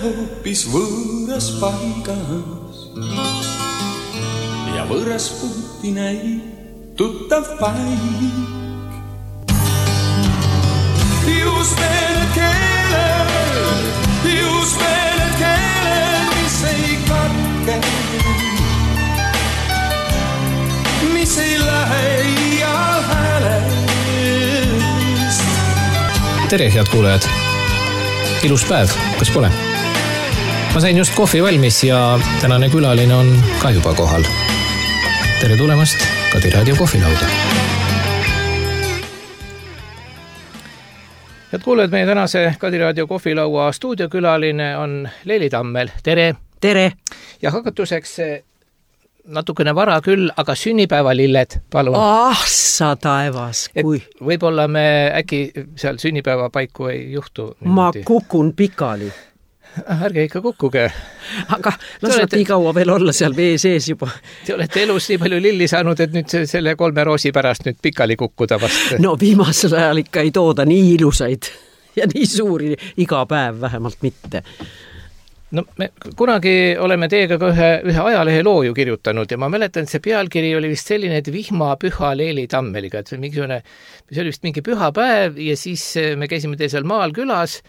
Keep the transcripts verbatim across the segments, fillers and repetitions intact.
hoopis võõras paigas ja võõras puuti näib tuttav paik. Just need keeled, just need keeled, mis ei katke, mis ei lähe ial häälest. Tere, head kuulajad! Ilus päev, kas pole? Ma sain just kohvi valmis ja tänane külaline on ka juba kohal. Tere tulemast Kadi Raadio kohvilauda. Head kuulajad, meie tänase Kadi Raadio kohvilaua stuudiokülaline on Leeli Tammel. Tere! Tere! Ja hakatuseks natukene vara küll, aga sünnipäevalilled, palun. Ah, sa taevas, kui... Et võib-olla me äkki seal sünnipäeva paiku ei juhtu. Ma kukun pikali. Ärge ikka kukkuge. Aga las olete... nii kaua veel olla seal vee sees juba. Te olete elus nii palju lilli saanud, et nüüd selle kolme roosi pärast nüüd pikali kukkuda vast. No viimasel ajal ikka ei tooda nii ilusaid ja nii suuri iga päev vähemalt mitte. No me kunagi oleme teiega ka ühe, ühe ajalehe loo ju kirjutanud ja ma mäletan, et see pealkiri oli vist selline, et vihma püha Leeli Tammeliga, et see, mingisugune, see oli vist mingi püha päev ja siis me käisime teisel maal külas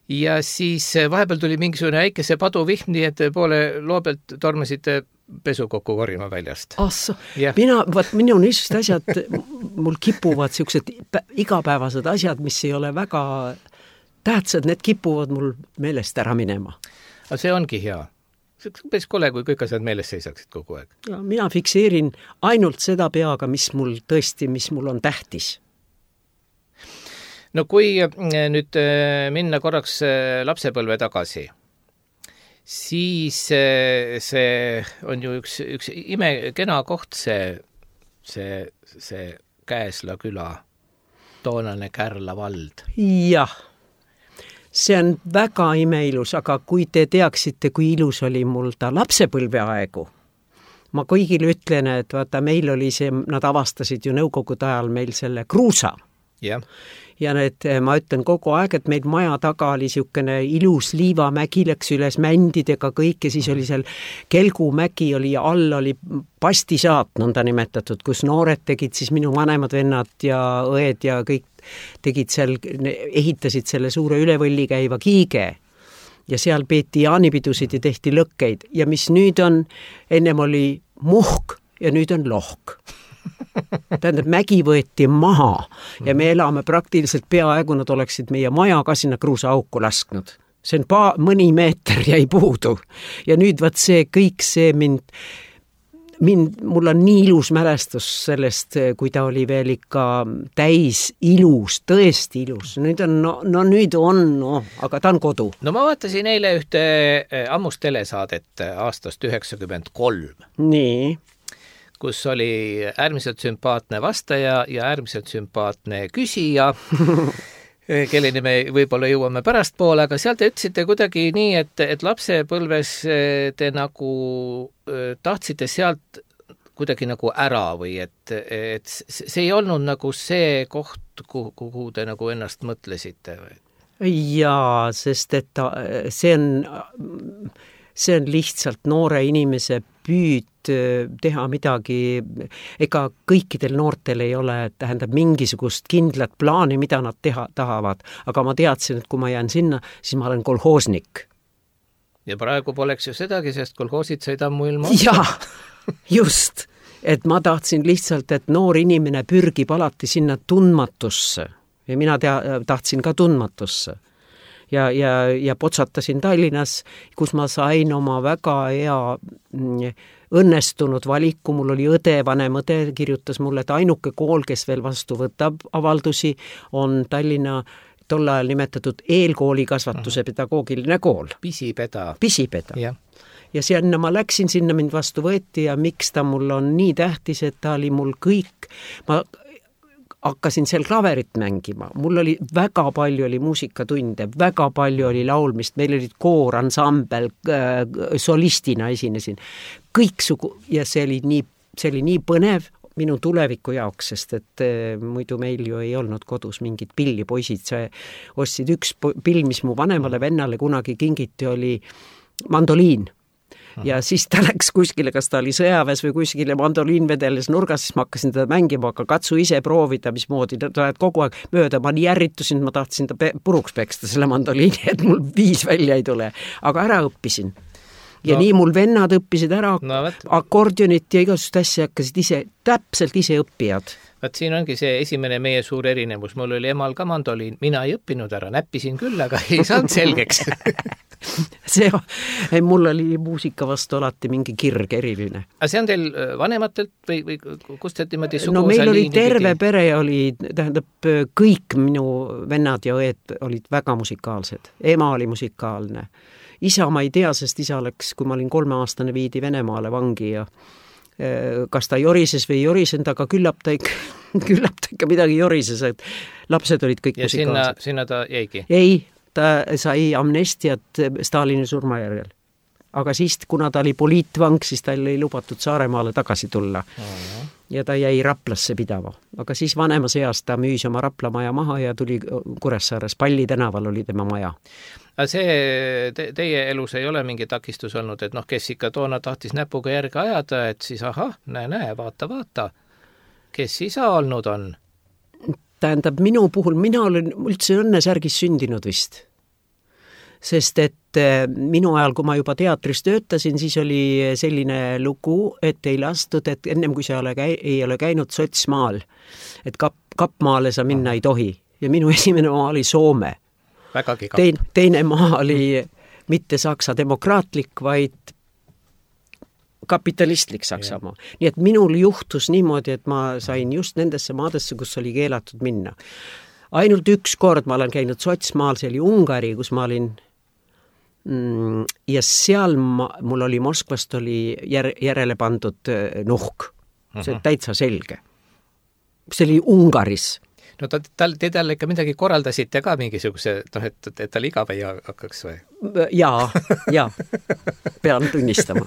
ja siis vahepeal tuli mingisugune äikese paduvihm, nii et poole loo pealt tormasite pesu kokku korima väljast. Asso, yeah. mina, vaat minu niisugused asjad, mul kipuvad siuksed igapäevased asjad, mis ei ole väga tähtsad, need kipuvad mul meelest ära minema. Aga see ongi hea. See on päris kole, kui kõik asjad meeles seisaksid kogu aeg. Ja mina fikseerin ainult seda peaga, mis mul tõesti, mis mul on tähtis. No kui nüüd minna korraks lapsepõlve tagasi, siis see on ju üks, üks ime kena koht, see, see, see Käesla küla, toonane Kärla vald. Jah. See on väga imeilus, aga kui te teaksite, kui ilus oli mul ta lapsepõlve aegu, ma kõigile ütlen, et vaata, meil oli see, nad avastasid ju nõukogude ajal meil selle kruusa. Yeah. Ja need, ma ütlen kogu aeg, et meil maja taga oli siukene ilus liivamägi, läks üles mändidega kõik ja siis oli seal Kelgumägi oli ja all oli pastisaat, nõnda nimetatud, kus noored tegid siis minu vanemad vennad ja õed ja kõik tegid seal, ehitasid selle suure ülevõlli käiva kiige ja seal peeti jaanipidusid ja tehti lõkkeid ja mis nüüd on, ennem oli muhk ja nüüd on lohk. Tähendab, mägi võeti maha ja me elame praktiliselt peaaegu, nad oleksid meie maja ka sinna kruusa auku lasknud. See on pa- mõni meeter jäi puudu ja nüüd vaat see kõik see mind, mind, mul on nii ilus mälestus sellest, kui ta oli veel ikka täis ilus, tõesti ilus. Nüüd on, no, no nüüd on, no, aga ta on kodu. No ma vaatasin eile ühte ammust telesaadet aastast üheksakümmend kolm. Nii. Kus oli äärmiselt sümpaatne vastaja ja äärmiselt sümpaatne küsija, kelleni me võib-olla jõuame pärast poole, aga seal te ütlesite kuidagi nii, et, et lapsepõlves te nagu tahtsite sealt kuidagi nagu ära või et, et see ei olnud nagu see koht, kuhu te nagu ennast mõtlesite? Jaa, sest et ta, see on, see on lihtsalt noore inimese püüd teha midagi, ega kõikidel noortel ei ole, tähendab mingisugust kindlat plaani, mida nad teha tahavad, aga ma teadsin, et kui ma jään sinna, siis ma olen kolhoosnik. Ja praegu poleks ju sedagi, sest kolhoosid said ammu ilma. Jaa, just, et ma tahtsin lihtsalt, et noor inimene pürgib alati sinna tundmatusse ja mina tea, tahtsin ka tundmatusse. Ja, ja, ja potsatasin Tallinnas, kus ma sain oma väga hea õnnestunud valiku, mul oli õde, vanem õde, kirjutas mulle, et ainuke kool, kes veel vastu võtab avaldusi, on Tallinna tol ajal nimetatud eelkooli kasvatuse pedagoogiline kool. Pisipeda. Pisipeda. Ja. ja sinna ma läksin, sinna mind vastu võeti ja miks ta mul on nii tähtis, et ta oli mul kõik, ma hakkasin seal klaverit mängima, mul oli väga palju oli muusikatunde, väga palju oli laulmist, meil olid koor, ansambel, solistina esinesin, kõik sugu, ja see oli nii, see oli nii põnev, minu tuleviku jaoks, sest et muidu meil ju ei olnud kodus mingit pilli, poisid, see ostsid üks pill, mis mu vanemale vennale kunagi kingiti, oli mandoliin. Ja siis ta läks kuskile, kas ta oli sõjaväes või kuskile mandoliin vedeles nurgas, siis ma hakkasin teda mängima, aga katsu ise proovida, mismoodi ta lähed kogu aeg mööda, ma nii ärritusin, ma tahtsin ta puruks peksta selle mandoliini, et mul viis välja ei tule, aga ära õppisin. Ja no, nii mul vennad õppisid ära no, akordionit ja igasugust asja hakkasid ise, täpselt ise õppijad. Vaat siin ongi see esimene meie suur erinevus. Mul oli emal ka mandoliin, mina ei õppinud ära, näppisin küll, aga ei saanud selgeks. see, mul oli muusika vastu alati mingi kirg eriline. Aga see on teil vanematelt või, või kust te niimoodi suguvõsa no meil oli liini terve pidi? Pere oli, tähendab, kõik minu vennad ja õed olid väga musikaalsed. Ema oli musikaalne. Isa ma ei tea, sest isa läks, kui ma olin kolmeaastane, viidi Venemaale vangi ja kas ta jorises või ei jorisenud, aga küllap ta ikka, küllap ta ikka midagi jorises, et lapsed olid kõik ja musikaalsed. Ja sinna, sinna ta jäigi? Ei, ta sai amnestiat Stalini surmajärjel. Aga siis, kuna ta oli poliitvang, siis tal ei lubatud Saaremaale tagasi tulla. Uh-huh. Ja ta jäi Raplasse pidama. Aga siis vanemas eas ta müüs oma Rapla maja maha ja tuli Kuressaares, Palli tänaval oli tema maja. Aga see te, teie elus ei ole mingi takistus olnud, et noh, kes ikka toona tahtis näpuga järge ajada, et siis ahah, näe, näe, vaata, vaata. Kes isa olnud on? Tähendab, minu puhul, mina olen üldse õnnesärgis sündinud vist. Sest et minu ajal, kui ma juba teatris töötasin, siis oli selline lugu, et ei lastud, et ennem kui sa ei, ei ole käinud sotsmaal, et kap, kapmaale sa minna ei tohi. Ja minu esimene maa oli Soome. Tein, teine maa oli mitte Saksa demokraatlik, vaid kapitalistlik Saksamaa. Nii et minul juhtus niimoodi, et ma sain just nendesse maadesse, kus oli keelatud minna. Ainult üks kord ma olen käinud sotsmaal, see oli Ungari, kus ma olin mm, ja seal ma, mul oli Moskvast oli jär, järele pandud nuhk. See on täitsa selge. See oli Ungaris. No ta, tal, te talle ikka midagi koraldasite ka mingisuguse, noh, et, et tal iga või hakkaks või? Jaa, jaa, pean tunnistama.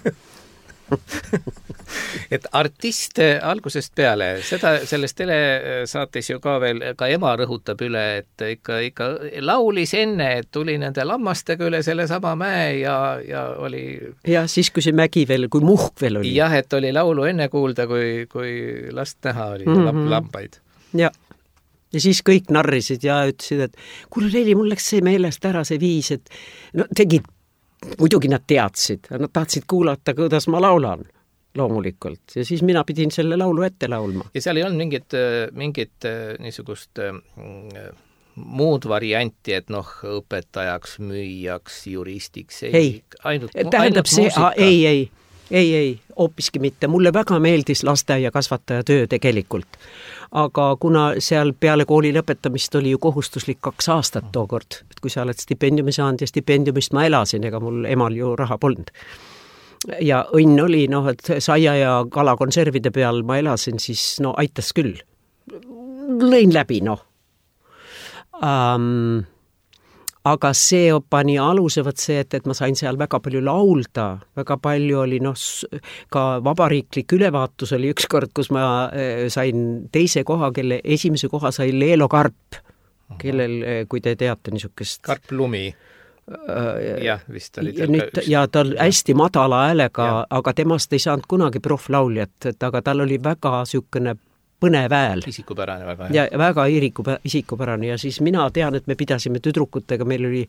et artist algusest peale, seda selles telesaates ju ka veel, ka ema rõhutab üle, et ikka, ikka laulis enne, et tuli nende lammastega üle selle sama mäe ja, ja oli... Ja siis, kui see mägi veel, kui muhk veel oli. Jah, et oli laulu enne kuulda, kui, kui last näha oli mm -hmm. lambaid. Ja. Ja siis kõik narrisid ja ütlesid, et kuule Leili, mul läks see meelest ära see viis, et no tegid, muidugi nad teadsid, nad tahtsid kuulata, kuidas ma laulan loomulikult. Ja siis mina pidin selle laulu ette laulma. Ja seal ei olnud mingit, mingit niisugust muud varianti, et noh, õpetajaks, müüjaks, juristiks, ei, ei. ainult, tähendab ainult see, muusika. Ei, ei, ei, ei, hoopiski mitte. Mulle väga meeldis lasteaia kasvataja töö tegelikult. Aga kuna seal peale kooli lõpetamist oli ju kohustuslik kaks aastat tookord, et kui sa oled stipendiumi saanud ja stipendiumist ma elasin, ega mul emal ju raha polnud. Ja õnn oli, noh, et saia ja kalakonservide peal ma elasin, siis no aitas küll. Lõin läbi, noh. Um, aga see pani aluse võt see, et, et ma sain seal väga palju laulda, väga palju oli, noh, ka vabariiklik ülevaatus oli üks kord, kus ma sain teise koha, kelle esimese koha sai Leelo Karp, kellel, kui te teate niisugust... Karp Lumi. Jah, vist oli ja, nüüd, ja tal hästi madala häälega, aga temast ei saanud kunagi proflauljat, et aga tal oli väga niisugune põnev hääl. Isikupärane väga. Ja väga isikupärane ja siis mina tean, et me pidasime tüdrukutega, meil oli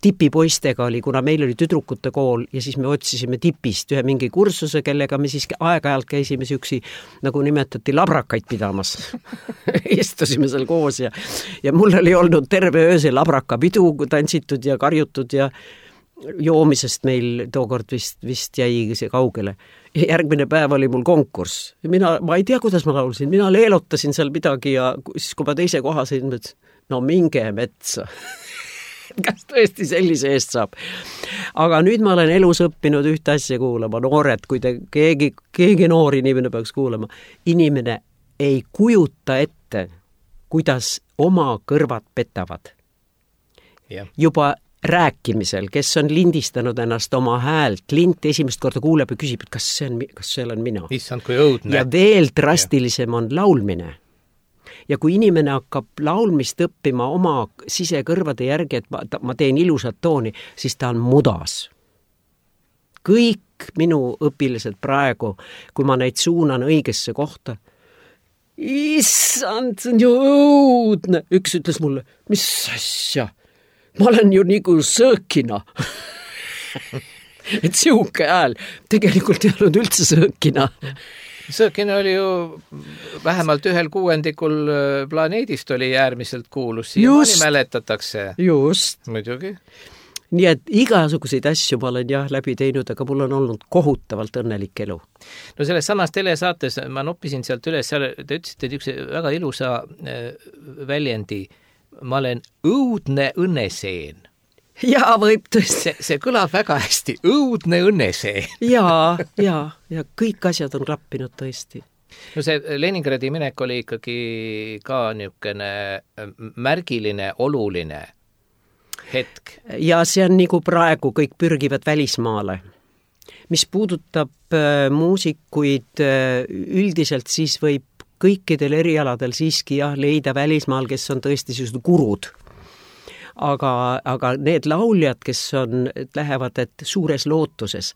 tipipoistega oli, kuna meil oli tüdrukute kool ja siis me otsisime tipist ühe mingi kursuse, kellega me siis aeg-ajalt käisime süksi, nagu nimetati, labrakaid pidamas. Istusime seal koos ja, ja mul oli olnud terve ööse labrakapidu tantsitud ja karjutud ja joomisest meil tookord vist, vist jäi see kaugele. Ja järgmine päev oli mul konkurss. Mina, ma ei tea, kuidas ma laulsin. Mina leelotasin seal midagi ja siis, kui ma teise koha sain, mõtlesin, no minge metsa. Kas tõesti sellise eest saab? Aga nüüd ma olen elus õppinud ühte asja kuulama. Noored, kui te keegi, keegi noor inimene peaks kuulama. Inimene ei kujuta ette, kuidas oma kõrvad petavad. Yeah. Juba rääkimisel, kes on lindistanud ennast oma häält, lint esimest korda kuuleb ja küsib, et kas see on, kas see olen mina. Issand, kui õudne. Ja veel drastilisem on laulmine. Ja kui inimene hakkab laulmist õppima oma sisekõrvade järgi, et ma, ma teen ilusat tooni, siis ta on mudas. Kõik minu õpilased praegu, kui ma neid suunan õigesse kohta, issand, see on ju õudne. Üks ütles mulle, mis asja? Ma olen ju nagu sõõkina. Et siuke hääl tegelikult ei olnud üldse sõõkina. Sõõkina oli ju vähemalt ühel kuuendikul planeedist oli äärmiselt kuulus. Siiamaani mäletatakse. Just. Muidugi. Nii et igasuguseid asju ma olen jah läbi teinud, aga mul on olnud kohutavalt õnnelik elu. No selles samas telesaates ma noppisin sealt üles, seal te ütlesite üks väga ilusa väljendi, ma olen õudne õnneseen. Jaa, võib tõesti. See, see kõlab väga hästi, õudne õnneseen. Jaa, jaa, ja kõik asjad on klappinud tõesti. No see Leningradi minek oli ikkagi ka niisugune märgiline, oluline hetk. Ja see on nagu praegu, kõik pürgivad välismaale. Mis puudutab äh, muusikuid äh, üldiselt, siis võib kõikidel erialadel siiski jah, leida välismaal, kes on tõesti sellised gurud. Aga, aga need lauljad, kes on, lähevad et suures lootuses,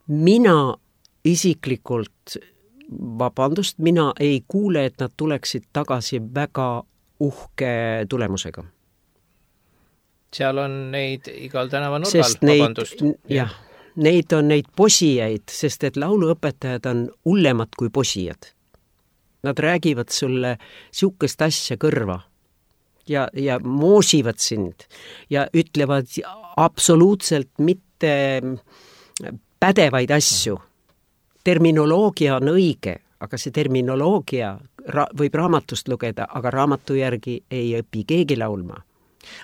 mina isiklikult, vabandust, mina ei kuule, et nad tuleksid tagasi väga uhke tulemusega. Seal on neid igal tänava nurgal, sest neid, vabandust. Jah, neid on neid posijaid, sest et lauluõpetajad on hullemad kui posijad. Nad räägivad sulle siukest asja kõrva ja, ja moosivad sind ja ütlevad absoluutselt mitte pädevaid asju. Terminoloogia on õige, aga see terminoloogia ra- võib raamatust lugeda, aga raamatu järgi ei õpi keegi laulma.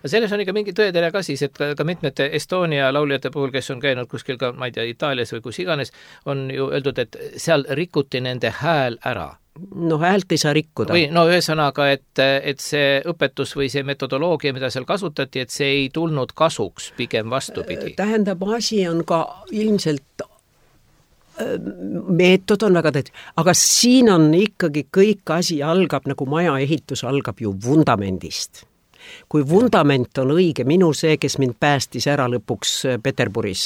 Selles on ikka mingi tõedele ka siis, et ka, ka mitmete Estonia lauljate puhul, kes on käinud kuskil ka, ma ei tea, Itaalias või kus iganes, on ju öeldud, et seal rikuti nende hääl ära. No häält ei saa rikkuda. Või no ühesõnaga, et, et see õpetus või see metodoloogia, mida seal kasutati, et see ei tulnud kasuks, pigem vastupidi. Tähendab, asi on ka ilmselt meetod on väga tähtis, aga siin on ikkagi kõik asi algab, nagu maja ehitus algab ju vundamendist. Kui vundament on õige, minu see, kes mind päästis ära lõpuks Peterburis,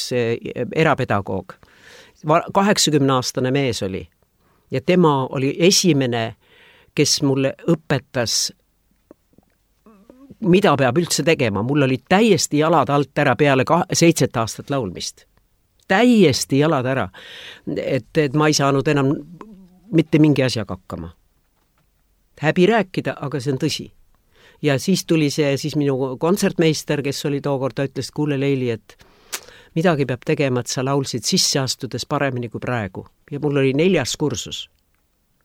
erapedagoog, kaheksakümne aastane mees oli ja tema oli esimene, kes mulle õpetas, mida peab üldse tegema. Mul oli täiesti jalad alt ära peale seitset aastat laulmist. Täiesti jalad ära, et, et ma ei saanud enam mitte mingi asjaga hakkama. Häbi rääkida, aga see on tõsi. Ja siis tuli see siis minu kontsertmeister, kes oli tookord, ta ütles, kuule Leili, et midagi peab tegema, et sa laulsid sisse astudes paremini kui praegu. Ja mul oli neljas kursus.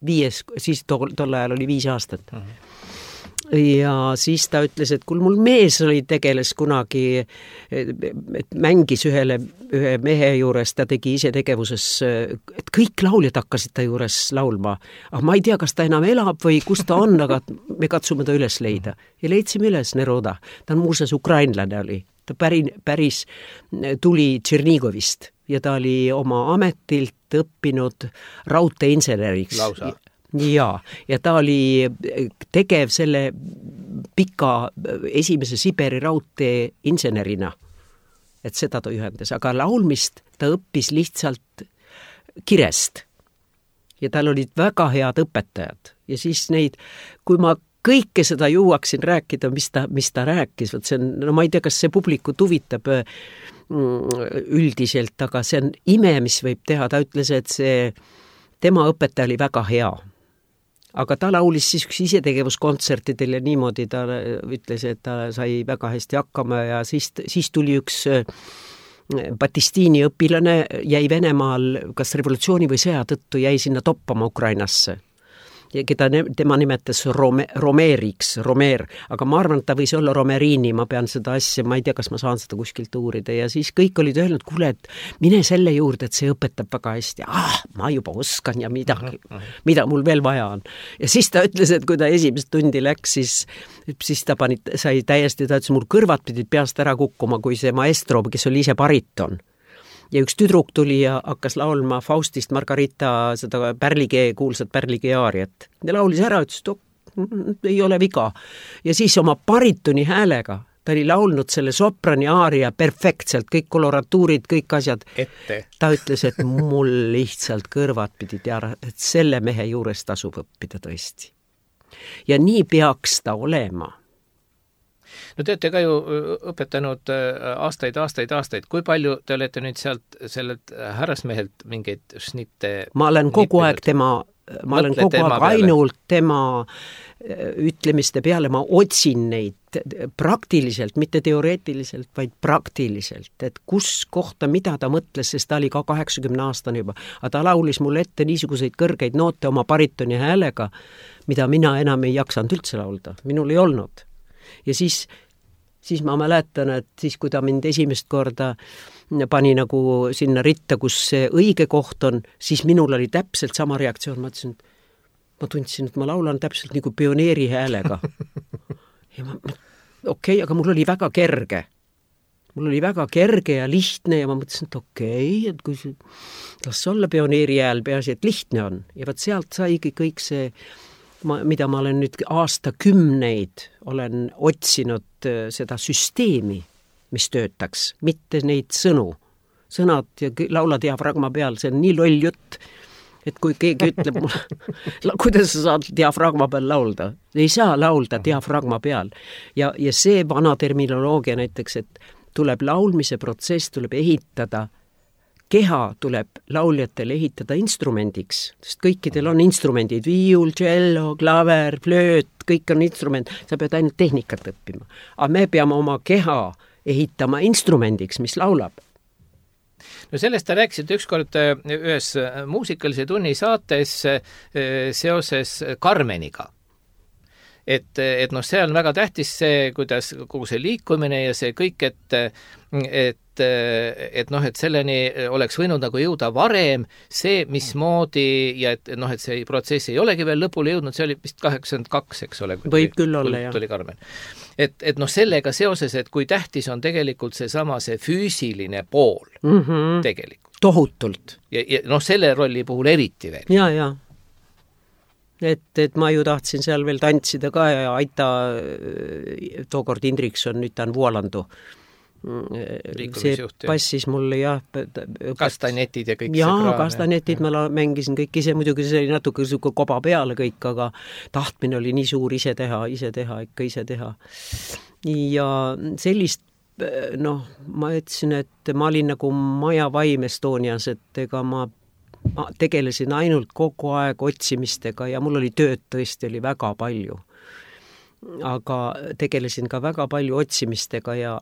Viies, siis tol, tol ajal oli viis aastat. Uh-huh. Ja siis ta ütles, et kul mul mees oli tegeles kunagi, et mängis ühele, ühe mehe juures, ta tegi ise tegevuses, et kõik lauljad hakkasid ta juures laulma. Aga ma ei tea, kas ta enam elab või kus ta on, aga me katsume ta üles leida. Ja leidsime üles Neroda. Ta on muuseas ukrainlane oli. Ta päri, päris tuli Tšernigovist ja ta oli oma ametilt õppinud raudteeinseneriks. Lausa. Ja, ja ta oli tegev selle pika esimese Siberi raudtee insenerina, et seda ta ühendas, aga laulmist ta õppis lihtsalt kirest ja tal olid väga head õpetajad ja siis neid, kui ma kõike seda jõuaksin rääkida, mis ta, mis ta rääkis, võt see on, no ma ei tea, kas see publikut huvitab üldiselt, aga see on ime, mis võib teha, ta ütles, et see tema õpetaja oli väga hea. Aga ta laulis siis üks isetegevuskontsertidel ja niimoodi ta ütles, et ta sai väga hästi hakkama ja siis, siis tuli üks Batistini õpilane, jäi Venemaal kas revolutsiooni või sõja tõttu jäi sinna toppama Ukrainasse. keda ne, tema nimetas Rome, Romeriks, Romer, aga ma arvan, et ta võis olla Romerini, ma pean seda asja, ma ei tea, kas ma saan seda kuskilt uurida ja siis kõik olid öelnud, kuule, et mine selle juurde, et see õpetab väga hästi. Ah, ma juba oskan ja midagi, mida mul veel vaja on. Ja siis ta ütles, et kui ta esimest tundi läks, siis, siis ta pani, sai täiesti, ta ütles, mul kõrvad pidid peast ära kukkuma, kui see maestro, kes oli ise bariton. Ja üks tüdruk tuli ja hakkas laulma Faustist Margarita seda Pärligee, kuulsat Pärligee aariat. Ja laulis ära, ütles, et ei ole viga. Ja siis oma baritoni häälega, ta oli laulnud selle soprani aaria perfektselt, kõik koloratuurid, kõik asjad. Ette. Ta ütles, et mul lihtsalt kõrvad pidid ära, et selle mehe juures tasub õppida tõesti. Ja nii peaks ta olema. No te olete ka ju õpetanud aastaid, aastaid, aastaid. Kui palju te olete nüüd sealt sellelt härrasmehelt mingeid snitte... Ma olen kogu aeg tema, ma olen kogu aeg ainult tema ütlemiste peale, ma otsin neid praktiliselt, mitte teoreetiliselt, vaid praktiliselt, et kus kohta, mida ta mõtles, sest ta oli ka kaheksakümne aastane juba, aga ta laulis mulle ette niisuguseid kõrgeid noote oma baritoni häälega, mida mina enam ei jaksanud üldse laulda, minul ei olnud. Ja siis, siis ma mäletan, et siis kui ta mind esimest korda pani nagu sinna ritta, kus see õige koht on, siis minul oli täpselt sama reaktsioon, ma ütlesin, et ma tundsin, et ma laulan täpselt nagu pioneeri häälega. Ja ma, okei, okay, aga mul oli väga kerge. Mul oli väga kerge ja lihtne ja ma mõtlesin, et okei, okay, et kui see, las olla pioneeri hääl, peaasi, et lihtne on. Ja vaat sealt saigi kõik see, ma, mida ma olen nüüd aastakümneid, olen otsinud seda süsteemi, mis töötaks, mitte neid sõnu. Sõnad ja laula diafragma peal, see on nii loll jutt, et kui keegi ütleb mulle, kuidas sa saad diafragma peal laulda? Ei saa laulda diafragma peal. Ja, ja see vana terminoloogia näiteks, et tuleb laulmise protsess, tuleb ehitada, keha tuleb lauljatele ehitada instrumendiks, sest kõikidel on instrumendid, viiul, cello, klaver, flööt, kõik on instrument, sa pead ainult tehnikat õppima. Aga me peame oma keha ehitama instrumendiks, mis laulab. No sellest te rääkisite ükskord ühes muusikalise tunni saates seoses Carmeniga. Et, et noh, see on väga tähtis see, kuidas kogu see liikumine ja see kõik, et, et, et noh, et selleni oleks võinud nagu jõuda varem, see mismoodi ja et noh, et see protsess ei olegi veel lõpule jõudnud, see oli vist kaheksakümmend kaks, eks ole. Võib küll olla, jah. Tuli Carmen. Et, et noh, sellega seoses, et kui tähtis on tegelikult see sama see füüsiline pool mm -hmm. tegelikult. Tohutult. Ja, ja noh, selle rolli puhul eriti veel. Ja, ja. Et, et ma ju tahtsin seal veel tantsida ka ja Aita, tookord Indrikson, nüüd ta on Vuolandu. See passis mulle, jah. Kastanetid ja kõik jaa, see kraam. Kastanetid ma la, mängisin kõik ise, muidugi see oli natuke koba peale kõik, aga tahtmine oli nii suur ise teha, ise teha, ikka ise teha. Ja sellist, noh, ma ütlesin, et ma olin nagu Maja Vaim Estonias, et ega ma ma tegelesin ainult kogu aeg otsimistega ja mul oli tööd tõesti oli väga palju. Aga tegelesin ka väga palju otsimistega ja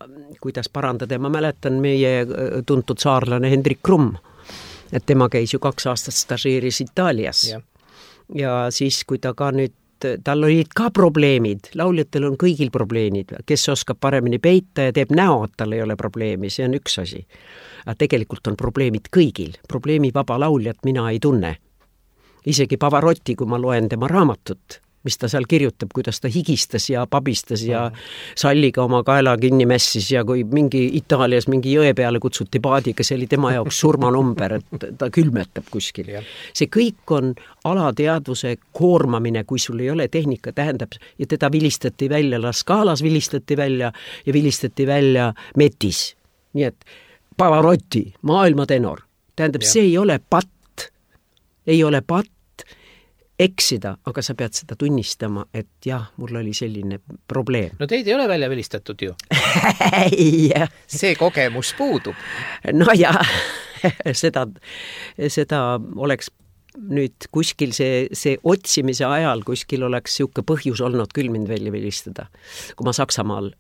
kuidas parandada. Ma mäletan meie tuntud saarlane Hendrik Krumm, et tema käis ju kaks aastat stažeeris Itaalias. Ja, ja siis, kui ta ka nüüd, tal olid ka probleemid, lauljatel on kõigil probleemid, kes oskab paremini peita ja teeb näo, et tal ei ole probleemi, see on üks asi. Aga tegelikult on probleemid kõigil. Probleemi vaba lauljat mina ei tunne. Isegi Pavarotti, kui ma loen tema raamatut, mis ta seal kirjutab, kuidas ta higistas ja pabistas ja salliga oma kaela kinni mässis ja kui mingi Itaalias mingi jõe peale kutsuti paadiga, see oli tema jaoks surmanumber, et ta külmetab kuskil. See kõik on alateadvuse koormamine, kui sul ei ole tehnika, tähendab, ja teda vilistati välja, La Scalas vilistati välja ja vilistati välja Metis. Nii et Pavarotti, maailma tenor. Tähendab, ja. See ei ole patt, ei ole patt eksida, aga sa pead seda tunnistama, et jah, mul oli selline probleem. No teid ei ole välja vilistatud ju. Ei. See kogemus puudub. No ja, seda, seda oleks nüüd kuskil see, see otsimise ajal kuskil oleks siuke põhjus olnud küll mind välja vilistada. Kui ma Saksamaal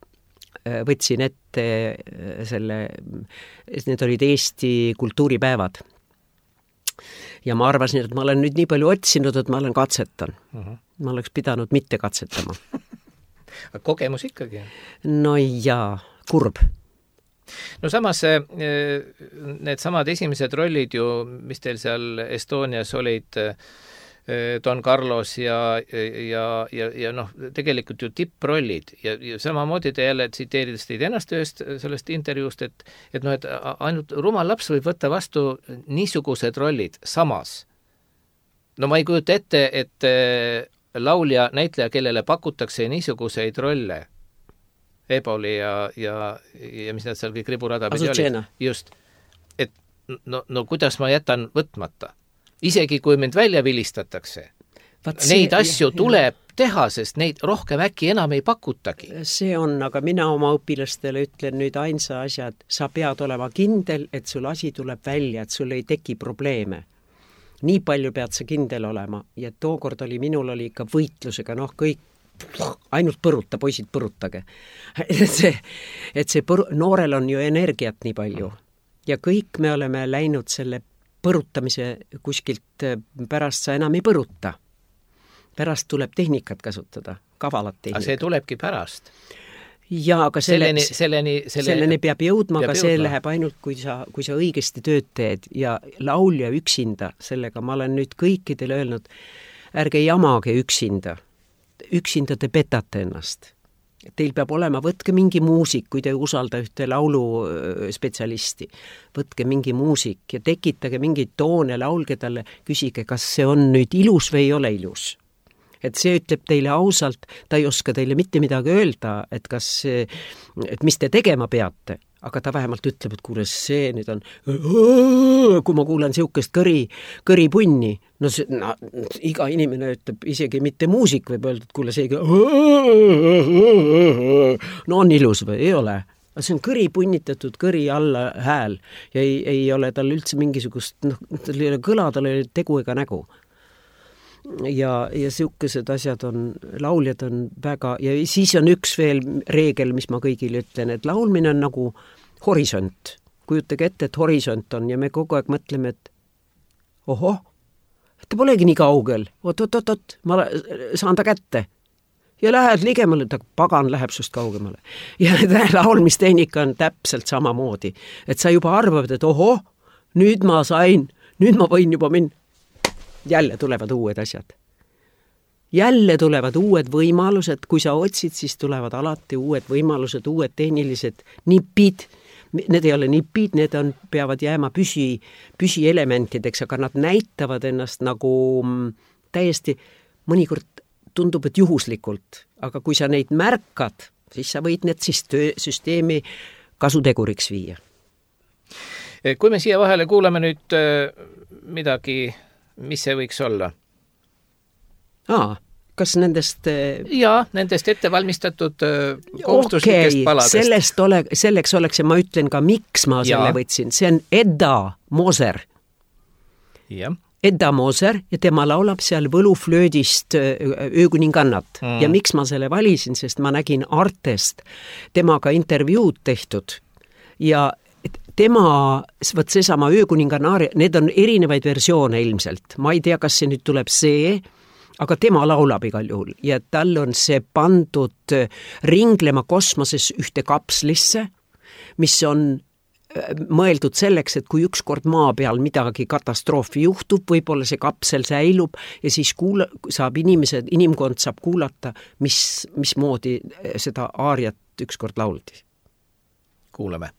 võtsin ette selle, need olid Eesti kultuuripäevad ja ma arvasin, et ma olen nüüd nii palju otsinud, et ma olen katsetan. Uh-huh. Ma oleks pidanud mitte katsetama. Kogemus ikkagi. No jaa, kurb. No samas need samad esimesed rollid ju, mis teil seal Estonias olid, Don Carlos ja, ja, ja, ja noh, tegelikult ju tipprollid ja, ja samamoodi te jälle tsiteerides teid ennast ühest sellest intervjuust, et, et noh, et ainult rumal laps võib võtta vastu niisugused rollid samas. No ma ei kujuta ette, et laulja, näitleja, kellele pakutakse niisuguseid rolle, Eboli ja, ja, ja mis nad seal kõik riburada pidi olid. Just, et no, no kuidas ma jätan võtmata? Isegi kui mind välja vilistatakse, see, neid asju ja, tuleb ja. teha, sest neid rohkem äkki enam ei pakutagi. See on, aga mina oma õpilastele ütlen nüüd ainsa asja, et sa pead olema kindel, et sul asi tuleb välja, et sul ei teki probleeme. Nii palju pead sa kindel olema ja tookord oli, minul oli ikka võitlusega, noh kõik ainult põruta, poisid põrutage. et see, et see põru, noorel on ju energiat nii palju ja kõik me oleme läinud selle põrutamise kuskilt pärast sa enam ei põruta. Pärast tuleb tehnikat kasutada, kavalat tehnikat. Aga see tulebki pärast. Ja, aga selle, selleni, selleni, selle, selleni peab jõudma, peab aga see jõudma. läheb ainult, kui sa, kui sa õigesti tööd teed ja laulja üksinda, sellega ma olen nüüd kõikidele öelnud, ärge jamage üksinda. Üksinda te petate ennast. Teil peab olema, võtke mingi muusik, kui te usalda ühte lauluspetsialisti, võtke mingi muusik ja tekitage mingid toone, laulge talle, küsige, kas see on nüüd ilus või ei ole ilus. Et see ütleb teile ausalt, ta ei oska teile mitte midagi öelda, et kas, et mis te tegema peate, aga ta vähemalt ütleb, et kuule, see nüüd on, kui ma kuulen siukest kõri, kõripunni, no, see, no iga inimene ütleb, isegi mitte muusik võib öelda, et kuule, see no on ilus või ei ole. See on kõri punnitatud kõri alla hääl ja ei, ei ole tal üldse mingisugust, noh, tal ei ole kõla, tal ei ole tegu ega nägu. Ja, ja siukesed asjad on, lauljad on väga, ja siis on üks veel reegel, mis ma kõigile ütlen, et laulmine on nagu horisont. Kujutage ette, et horisont on ja me kogu aeg mõtleme, et ohoh, ta polegi nii kaugel, oot, oot, oot, oot, ma saan ta kätte. Ja lähed ligemale, ta pagan läheb sust kaugemale. Ja laulmistehnika on täpselt sama moodi, et sa juba arvad, et ohoh, nüüd ma sain, nüüd ma võin juba minna. Jälle tulevad uued asjad. Jälle tulevad uued võimalused, kui sa otsid, siis tulevad alati uued võimalused, uued tehnilised nipid. Need ei ole nipid, need on, peavad jääma püsi, püsielementideks, aga nad näitavad ennast nagu täiesti, mõnikord tundub, et juhuslikult, aga kui sa neid märkad, siis sa võid need siis töö, süsteemi kasuteguriks viia. Kui me siia vahele kuulame nüüd midagi, mis see võiks olla? Aa, kas nendest... Jaa, nendest ettevalmistatud kohustuslikest okay, paladest. Sellest ole, selleks oleks ja ma ütlen ka, miks ma ja. selle võtsin. See on Edda Moser. Ja. Edda Moser ja tema laulab seal võluflöödist Öökuningannat. Mm. Ja miks ma selle valisin, sest ma nägin Artest temaga intervjuud tehtud ja tema, võt seesama Öökuningannaari, need on erinevaid versioone ilmselt. Ma ei tea, kas see nüüd tuleb see, aga tema laulab igal juhul ja tal on see pandud ringlema kosmoses ühte kapslisse, mis on mõeldud selleks, et kui ükskord maa peal midagi katastroofi juhtub, võib-olla see kapsel säilub ja siis kuula, saab inimesed, inimkond saab kuulata, mis, mismoodi seda aariat ükskord lauldi. Kuulame.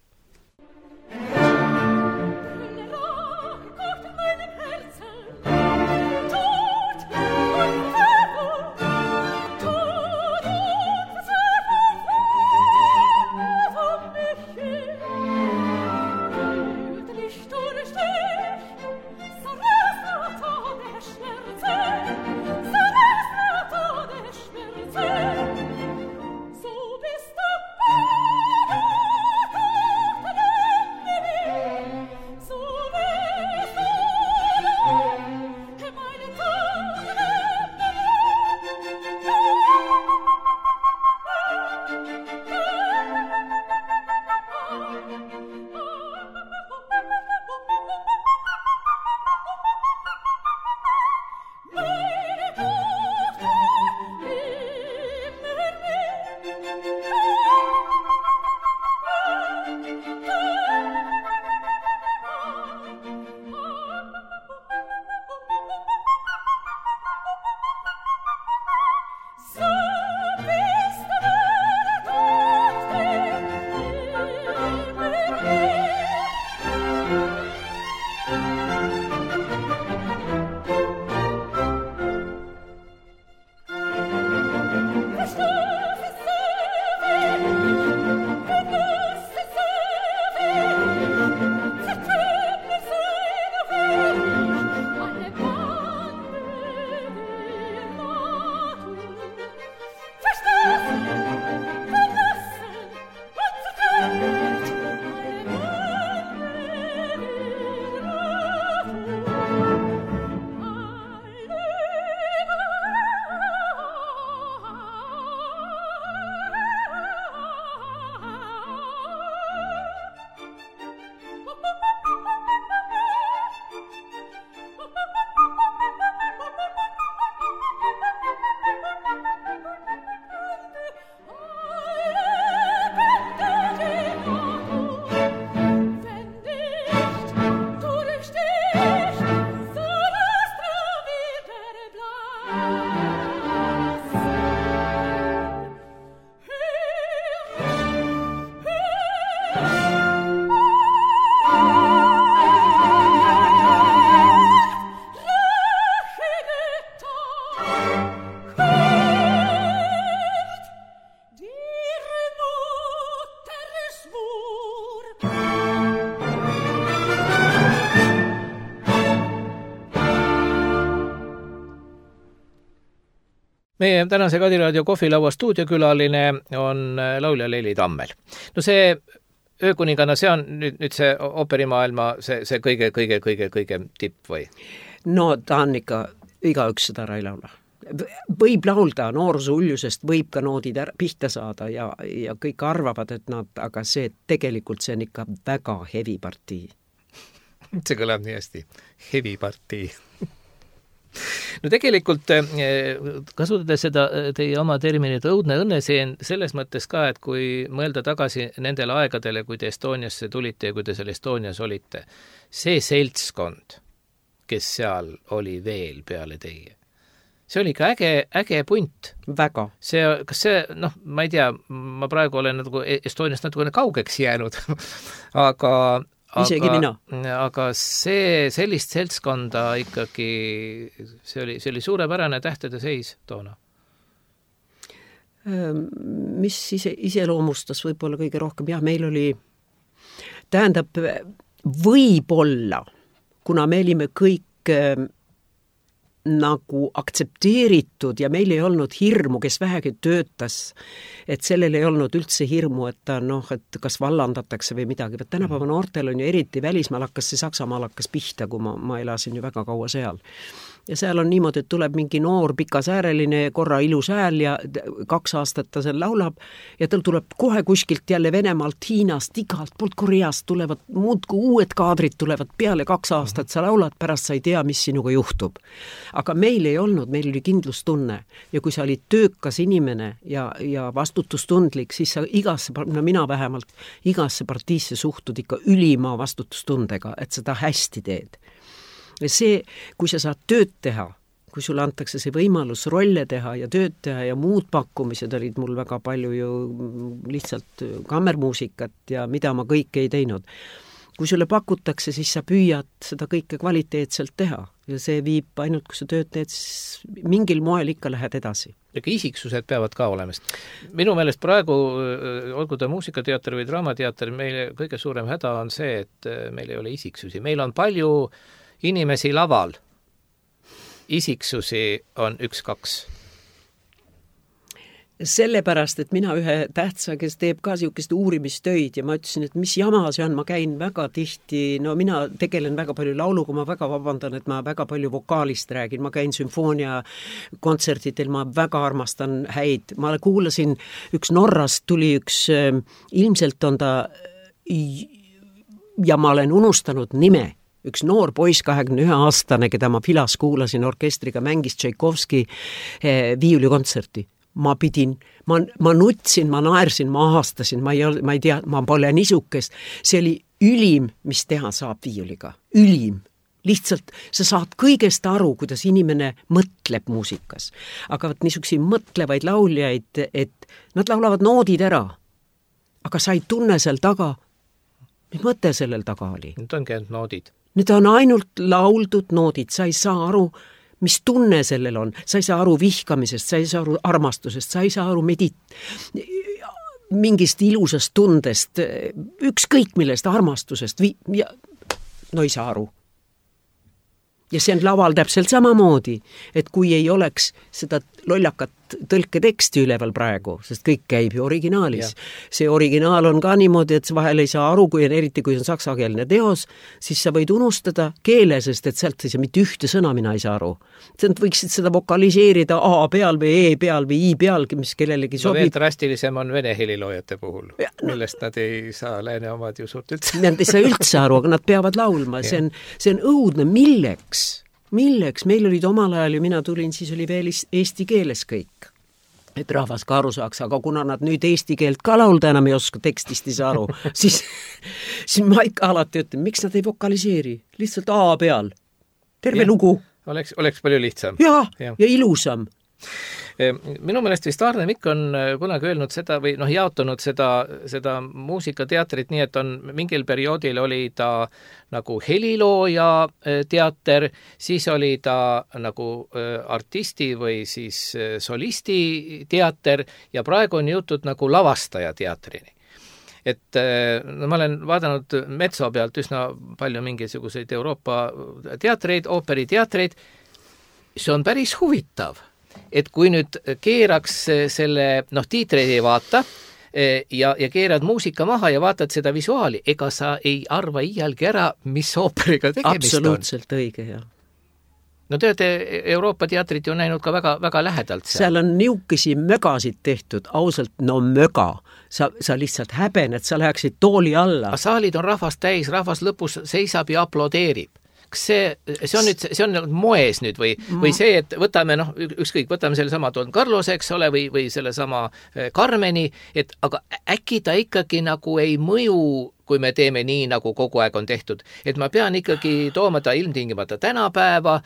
So bist du meie tänase Kadiraadio kohvilaua stuudiokülaline on laulja Leili Tammel. No see öökuningana, see on nüüd, nüüd see ooperimaailma see, see kõige, kõige, kõige, kõige tipp või? No ta on ikka, igaüks seda ära ei laula. Võib laulda nooruse uljusest, võib ka noodid ära, pihta saada ja, ja kõik arvavad, et nad, aga see tegelikult see on ikka väga hevi partii. See kõlab nii hästi. Hevi partii. No tegelikult kasutades seda teie oma terminit õudne õnneseen selles mõttes ka, et kui mõelda tagasi nendele aegadele, kui te Estoniasse tulite ja kui te seal Estonias olite, see seltskond, kes seal oli veel peale teie, see oli ikka äge, äge punt. Väga. See, kas see, noh, ma ei tea, ma praegu olen nagu Estoniast natukene kaugeks jäänud, aga isegi aga, mina. Aga see, sellist seltskonda ikkagi, see oli, see oli suurepärane tähtede seis toona. Mis ise, iseloomustas võib-olla kõige rohkem, jah, meil oli, tähendab, võib-olla, kuna me olime kõik nagu aktsepteeritud ja meil ei olnud hirmu, kes vähegi töötas, et sellel ei olnud üldse hirmu, et ta noh, et kas vallandatakse või midagi. Võt tänapäeva noortel on ju eriti välismaal hakkas see Saksamaal hakkas pihta, kui ma, ma elasin ju väga kaua seal. Ja seal on niimoodi, et tuleb mingi noor pikasääreline, korra ilus hääl ja kaks aastat ta seal laulab ja tal tuleb kohe kuskilt jälle Venemaalt, Hiinast, igalt poolt Koreast tulevad muudku uued kaadrid tulevad peale kaks aastat, sa laulad, pärast sa ei tea, mis sinuga juhtub. Aga meil ei olnud, meil oli kindlustunne ja kui sa olid töökas inimene ja, ja vastutustundlik, siis sa igasse, no mina vähemalt, igasse partiisse suhtud ikka ülima vastutustundega, et seda hästi teed. Ja see, kui sa saad tööd teha, kui sulle antakse see võimalus rolle teha ja tööd teha ja muud pakkumised olid mul väga palju ju lihtsalt kammermuusikat ja mida ma kõike ei teinud. Kui sulle pakutakse, siis sa püüad seda kõike kvaliteetselt teha ja see viib ainult, kui sa tööd teed, siis mingil moel ikka lähed edasi. Ja isiksused peavad ka olemast. Minu meelest praegu, olgu ta muusikateater või draamateater, meile kõige suurem häda on see, et meil ei ole isiksusi. Meil on palju inimesi laval, isiksusi on üks-kaks. Sellepärast, et mina ühe tähtsa, kes teeb ka siukest uurimistöid ja ma ütlesin, et mis jama see on, ma käin väga tihti, no mina tegelen väga palju lauluga, ma väga vabandan, et ma väga palju vokaalist räägin, ma käin sümfoonia kontsertitel, ma väga armastan häid, ma kuulasin, üks Norrast tuli üks, ilmselt on ta, ja ma olen unustanud nime, üks noor poiss, kahekümne ühe aastane, keda ma Filas kuulasin orkestriga, mängis Tšaikovski viiulikontserti. Ma pidin, ma, ma nutsin, ma naersin, ma aastasin, ma ei, ma ei tea, ma pole nisukest. See oli ülim, mis teha saab viiuliga. Ülim. Lihtsalt sa saad kõigest aru, kuidas inimene mõtleb muusikas. Aga võt niisuksi mõtlevaid lauljaid, et nad laulavad noodid ära. Aga sa ei tunne seal taga, mis mõte sellel taga oli? Need ongi ainult noodid. Need on ainult lauldud noodid, sa ei saa aru, mis tunne sellel on, sa ei saa aru vihkamisest, sa ei saa aru armastusest, sa ei saa aru medit-, mingist ilusast tundest, ükskõik millest armastusest, vi- ja no ei saa aru. Ja see on laval täpselt samamoodi, et kui ei oleks seda lollakat tõlketeksti üleval praegu, sest kõik käib ju originaalis. Ja. See originaal on ka niimoodi, et vahel ei saa aru, kui on eriti, kui on saksakeelne teos, siis sa võid unustada keele, sest et sealt ei saa mitte ühte sõna, mina ei saa aru. Sa võiksid seda vokaliseerida A peal või E peal või I peal, mis kellelegi sobib. No veel drastilisem on vene heliloojate puhul, ja, no, millest nad ei saa lääne omad ju suurt üldse. Nad ei saa üldse aru, aga nad peavad laulma. See on, see on õudne. Milleks? Milleks? Meil olid omal ajal ju, mina tulin, siis oli veel eesti keeles kõik. Et rahvas ka aru saaks, aga kuna nad nüüd eesti keelt ka laulda enam ei oska, tekstist ei saa aru, siis, siis ma ikka alati ütlen, miks nad ei vokaliseeri? Lihtsalt A peal. Terve ja, lugu. Oleks, oleks palju lihtsam. Ja, ja, ja ilusam. Minu meelest vist Arne Mikk on kunagi öelnud seda või noh, jaotunud seda, seda muusikateatrit nii, et on mingil perioodil oli ta nagu helilooja teater, siis oli ta nagu artisti või siis solisti teater ja praegu on jõutud nagu lavastaja teatrini. Et no, ma olen vaadanud Metso pealt üsna palju mingisuguseid Euroopa teatreid, ooperiteatreid, see on päris huvitav. et kui nüüd keeraks selle, noh, tiitreid ei vaata ja, ja keerad muusika maha ja vaatad seda visuaali, ega sa ei arva iialgi ära, mis ooperiga tegemist on. Absoluutselt õige, jah. No te olete Euroopa teatrit ju näinud ka väga, väga lähedalt seal. Seal on niukesi mögasid tehtud, ausalt, no möga. Sa, sa lihtsalt häbened, sa läheksid tooli alla. Saalid on rahvast täis, rahvas lõpus seisab ja aplodeerib. Kas see, see on nüüd, see on moes nüüd või, või see, et võtame, noh, ükskõik, võtame selle sama Don Carlose, eks ole, või, või selle sama Carmeni, et aga äkki ta ikkagi nagu ei mõju, kui me teeme nii, nagu kogu aeg on tehtud. Et ma pean ikkagi tooma ta ilmtingimata tänapäeva,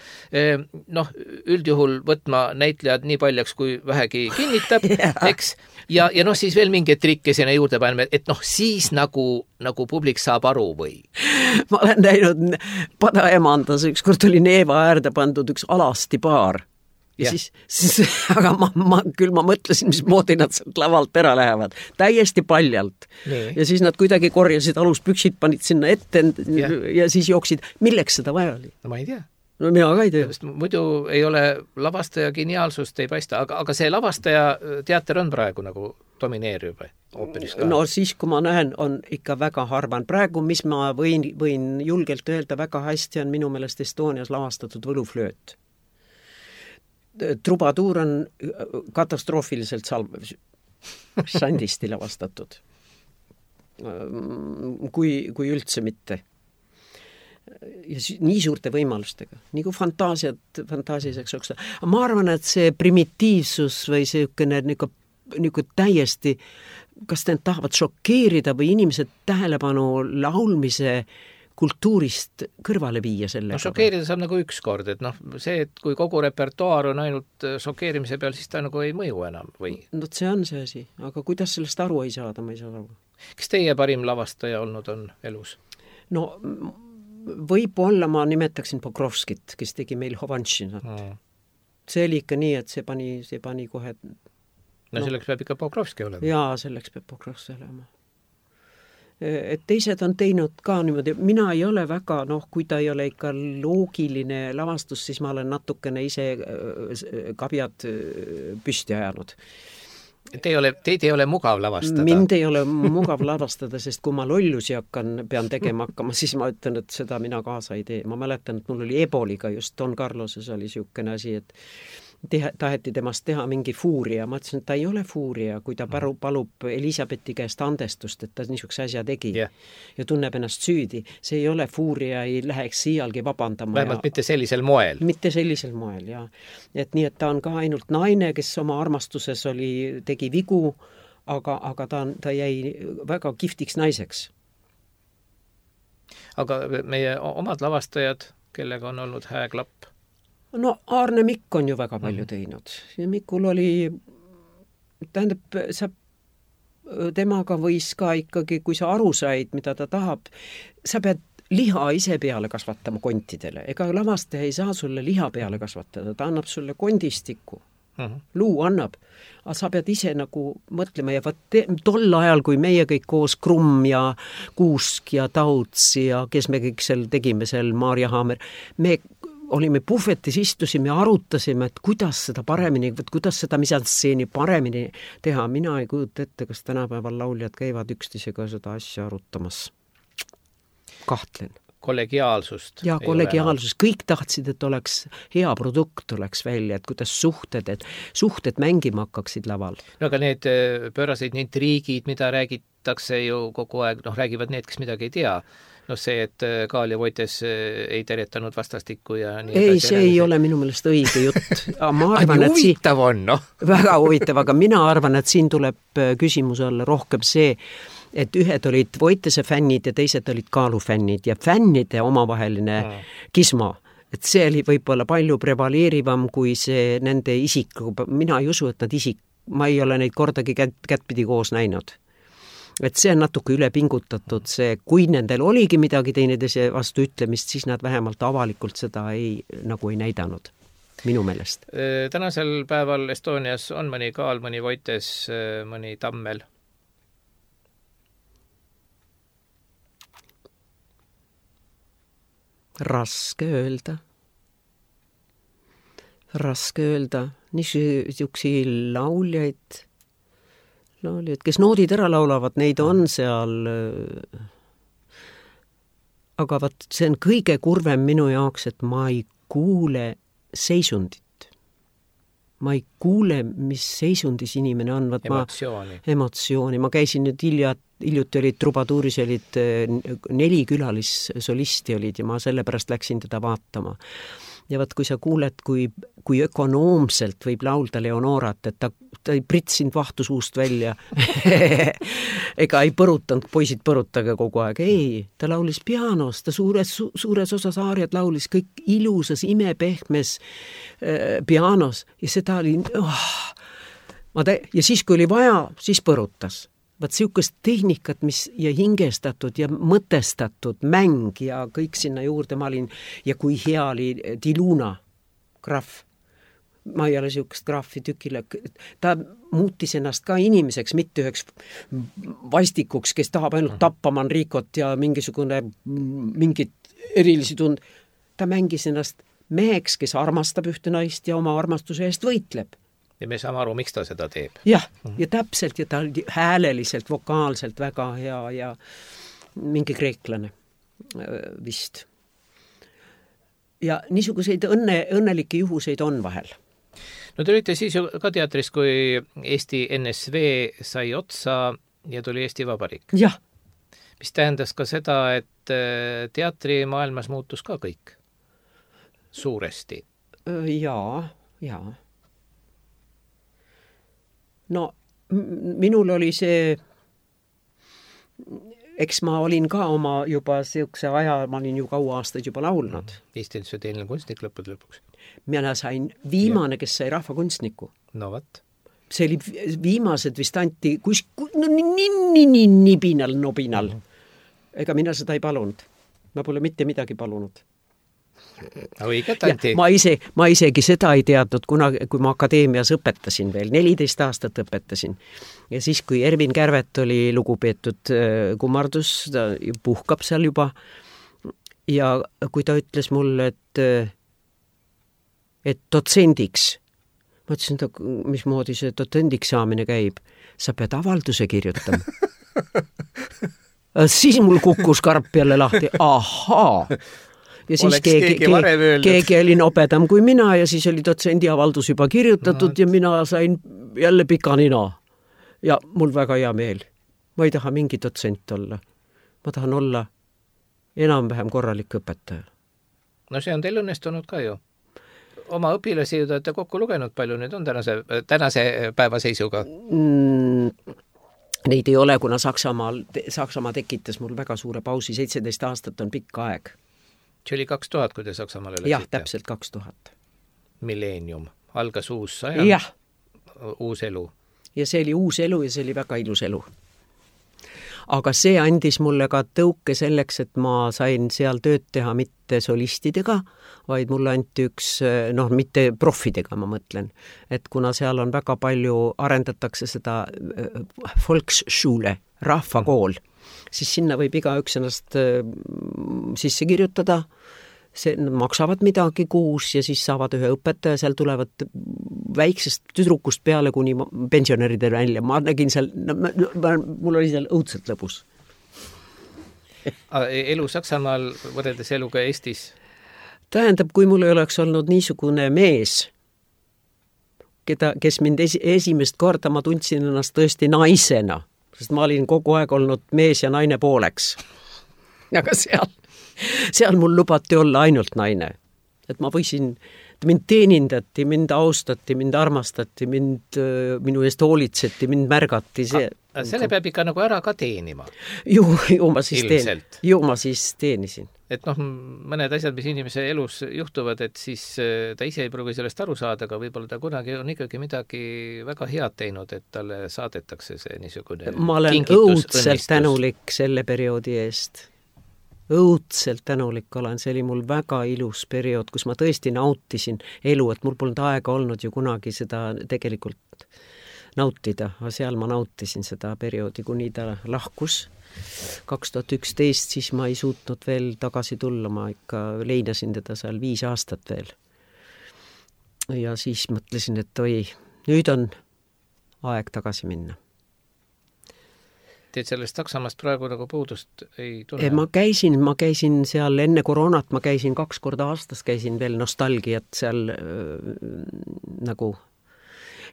noh, üldjuhul võtma näitlejad nii paljaks, kui vähegi kinnitab, eks, ja, ja noh, siis veel mingeid trikke sinna juurde paneme, et noh, siis nagu, nagu publik saab aru või? Ma olen näinud Padaemandas, ükskord oli Neeva äärde pandud üks alasti paar. Ja yeah. siis, siis, aga ma, ma, küll ma mõtlesin, mis moodi nad sealt lavalt ära lähevad. Täiesti paljalt. Nee. Ja siis nad kuidagi korjasid aluspüksid, panid sinna ette yeah. ja siis jooksid. Milleks seda vaja oli? No ma ei tea. No mina ka ei tea. Muidu ei ole lavastaja geniaalsust, ei paista, aga, aga see lavastaja teater on praegu nagu domineeriv ooperis ka. No siis, kui ma näen, on ikka väga harvan. Praegu, mis ma võin, võin julgelt öelda väga hästi, on minu meelest Estonias lavastatud Võluflööt. Trubaduur on katastroofiliselt salv, sandisti lavastatud. Kui, kui üldse mitte. Ja nii suurte võimalustega. Nii kui fantaasiat, fantaasiaseks oksa. Ma arvan, et see primitiivsus või see niuke, niuke täiesti, kas te tahavad šokeerida või inimesed tähelepanu laulmise kultuurist kõrvale viia sellega. No šokeerida saab nagu üks kord, et noh, see, et kui kogu repertuaar on ainult šokeerimise peal, siis ta nagu ei mõju enam või? No see on see asi, aga kuidas sellest aru ei saada, ma ei saa aru. Kes teie parim lavastaja olnud on elus? No võib-olla ma nimetaksin Pokrovskit, kes tegi meil Hovanšinat. Hmm. See oli ikka nii, et see pani, see pani kohe... No, no selleks peab ikka Pokrovski olema. Jaa, selleks peab Pokrovski olema. Et teised on teinud ka niimoodi, mina ei ole väga, noh, kui ta ei ole ikka loogiline lavastus, siis ma olen natukene ise kabjad püsti ajanud. Te ei ole, teid ei ole mugav lavastada? Mind ei ole mugav lavastada, sest kui ma lollusi hakkan, pean tegema hakkama, siis ma ütlen, et seda mina kaasa ei tee. Ma mäletan, et mul oli Eboliga just Don Carloses oli siukene asi, et Teha, taheti temast teha mingi fuuria. Ma ütlesin, et ta ei ole fuuria, kui ta paru, palub Elisabethi käest andestust, et ta niisuguse asja tegi yeah. ja tunneb ennast süüdi. See ei ole fuuria, ei läheks siialgi vabandama. Vähemalt ja, mitte sellisel moel. Mitte sellisel moel, jah. Et nii, et ta on ka ainult naine, kes oma armastuses oli, tegi vigu, aga, aga ta, ta jäi väga kihvtiks naiseks. Aga meie omad lavastajad, kellega on olnud hääklapp? No Aarne Mikk on ju väga palju teinud. Ja Mikul oli, tähendab, sa, temaga võis ka ikkagi, kui sa aru said, mida ta tahab, sa pead liha ise peale kasvatama kontidele. Ega lavastaja ei saa sulle liha peale kasvatada, ta annab sulle kondistiku. Uh-huh. Luu annab, aga sa pead ise nagu mõtlema ja vaat te, tol ajal, kui meie kõik koos Krumm ja Kuusk ja Tauts ja kes me kõik seal tegime seal Maarja Haamer, me olime puhvetis, istusime ja arutasime, et kuidas seda paremini, kuidas seda misantseeni paremini teha. Mina ei kujuta ette, kas tänapäeval lauljad käivad üksteisega seda asja arutamas. Kahtlen. Kollegiaalsust. Ja kollegiaalsus. Kõik tahtsid, et oleks hea produkt oleks välja, et kuidas suhted, et suhted mängima hakkaksid laval. No aga need pööraseid intriigid, mida räägitakse ju kogu aeg, noh, räägivad need, kes midagi ei tea. No see, et Kaal ja Voites ei terjetanud vastastikku ja nii ei, see ei ole minu meelest õige jutt. Ma arvan, et huvitav on, noh. Väga huvitav, aga mina arvan, et siin tuleb küsimus olla rohkem see, et ühed olid Voitese fännid ja teised olid Kaalu fännid ja fännide omavaheline mm. kisma. Et see oli võib-olla palju prevaleerivam kui see nende isik. Mina ei usu, et nad isik, ma ei ole neid kordagi kät, kätpidi koos näinud. Et see on natuke üle pingutatud, see, kui nendel oligi midagi teineteise vastu ütlemist, siis nad vähemalt avalikult seda ei, nagu ei näidanud, minu meelest. Tänasel päeval Estonias on mõni Kaal, mõni Voites, mõni Tammel? Raske öelda. raske öelda. Niisugusi lauljaid, lauljaid, kes noodid ära laulavad, neid on seal. Aga vaat, see on kõige kurvem minu jaoks, et ma ei kuule seisundit. Ma ei kuule, mis seisundis inimene on. Vaat emotsiooni. Ma, emotsiooni. Ma käisin nüüd hilja, hiljuti olid Trubatuuris, olid neli külalisolisti olid ja ma sellepärast läksin teda vaatama. Ja vaat, kui sa kuuled, kui, kui ökonoomselt võib laulda Leonorat, et ta, ta ei pritsinud vahtusuust välja. Ega ei põrutanud, poisid põrutage kogu aeg. Ei, ta laulis pianos, ta suures, su, suures osas aariad laulis kõik ilusas, imepehmes äh, pianos ja seda oli... Oh, ma te, ja siis, kui oli vaja, siis põrutas. Vaat siukest tehnikat, mis ja hingestatud ja mõtestatud mäng ja kõik sinna juurde ma olin ja kui hea oli Diluna graaf. Ma ei ole siukest graafi tükile. Ta muutis ennast ka inimeseks, mitte üheks vaistikuks, kes tahab ainult tappa Manrikot ja mingisugune mingit erilisi tund. Ta mängis ennast meheks, kes armastab ühte naist ja oma armastuse eest võitleb. Ja me saame aru, miks ta seda teeb. Jah, ja täpselt, ja ta oli hääleliselt, vokaalselt väga hea ja mingi kreeklane vist. Ja niisuguseid õnne, õnnelikke juhuseid on vahel. No te olite siis ju ka teatris, kui Eesti N S V sai otsa ja tuli Eesti Vabariik. Jah. Mis tähendas ka seda, et teatrimaailmas muutus ka kõik suuresti. Jaa, jaa. No minul oli see, eks ma olin ka oma juba siukse aja, ma olin ju kaua aastaid juba laulnud. Eesti N S V teine kunstnik lõppude lõpuks. Mina sain viimane, kes sai rahvakunstniku. No vat. See oli viimased vist anti kus, no, nii, nii, nii nibinal, nobinal. Ega mina seda ei palunud. Ma pole mitte midagi palunud. Õiget anti. Ma, ise, ma isegi seda ei teadnud, kuna, kui ma akadeemias õpetasin veel, neliteist aastat õpetasin. Ja siis, kui Ervin Kärvet oli lugupeetud kummardus, ta puhkab seal juba. Ja kui ta ütles mulle, et, et dotsendiks, ma ütlesin, mismoodi see dotsendiks saamine käib, sa pead avalduse kirjutama. Siis mul kukkus karp jälle lahti. Ahaa! Ja siis Oleks keegi, keegi, keegi, keegi oli nobedam kui mina ja siis oli dotsendi avaldus juba kirjutatud no. Ja mina sain jälle pika nina. Ja mul väga hea meel. Ma ei taha mingi dotsent olla. Ma tahan olla enam-vähem korralik õpetaja. No see on teil õnnestunud ka ju. Oma õpilasi ju olete kokku lugenud palju, nüüd on tänase, tänase päeva seisuga. Mm, neid ei ole, kuna Saksamaal, Saksamaa tekitas mul väga suure pausi. seitseteist aastat on pikk aeg. See oli kaks tuhat, kui te Saksamaale läksite? Jah, täpselt kaks tuhat. Millennium. Algas uus sajand, jah. Uus elu. Ja see oli uus elu ja see oli väga ilus elu. Aga see andis mulle ka tõuke selleks, et ma sain seal tööd teha mitte solistidega, vaid mulle anti üks, noh, mitte profidega, ma mõtlen. Et kuna seal on väga palju, arendatakse seda Volksschule, rahvakool, siis sinna võib iga üks ennast sisse kirjutada, see, nad maksavad midagi kuus ja siis saavad ühe õpetaja, seal tulevad väiksest tüdrukust peale kuni pensionäride välja. Ma nägin seal, mul oli seal õudselt lõbus. Elu Saksamaal võrreldes eluga Eestis? Tähendab, kui mul ei oleks olnud niisugune mees, keda, kes mind esi, esimest korda ma tundsin ennast tõesti naisena, sest ma olin kogu aeg olnud mees ja naine pooleks. Aga seal, seal mul lubati olla ainult naine. Et ma võisin, mind teenindati, mind austati, mind armastati, mind, minu eest hoolitseti, mind märgati. See, A, selle peab ikka nagu ära ka teenima. Ju, ju, ma siis teen, ju ma siis teenisin. Et noh, mõned asjad, mis inimese elus juhtuvad, et siis ta ise ei pruugi sellest aru saada, aga võib-olla ta kunagi on ikkagi midagi väga head teinud, et talle saadetakse see niisugune ma olen kingitus, õudselt õnnistus. tänulik selle perioodi eest. Õudselt tänulik olen, see oli mul väga ilus periood, kus ma tõesti nautisin elu, et mul polnud aega olnud ju kunagi seda tegelikult nautida, aga seal ma nautisin seda perioodi, kuni ta lahkus. kaks tuhat üksteist, siis ma ei suutnud veel tagasi tulla, ma ikka leinasin teda seal viis aastat veel. ja siis mõtlesin, et oi, nüüd on aeg tagasi minna. Teed sellest Saksamaast praegu nagu puudust ei tule? Ma käisin, ma käisin seal enne koroonat, ma käisin kaks korda aastas, käisin veel nostalgiat seal äh, nagu.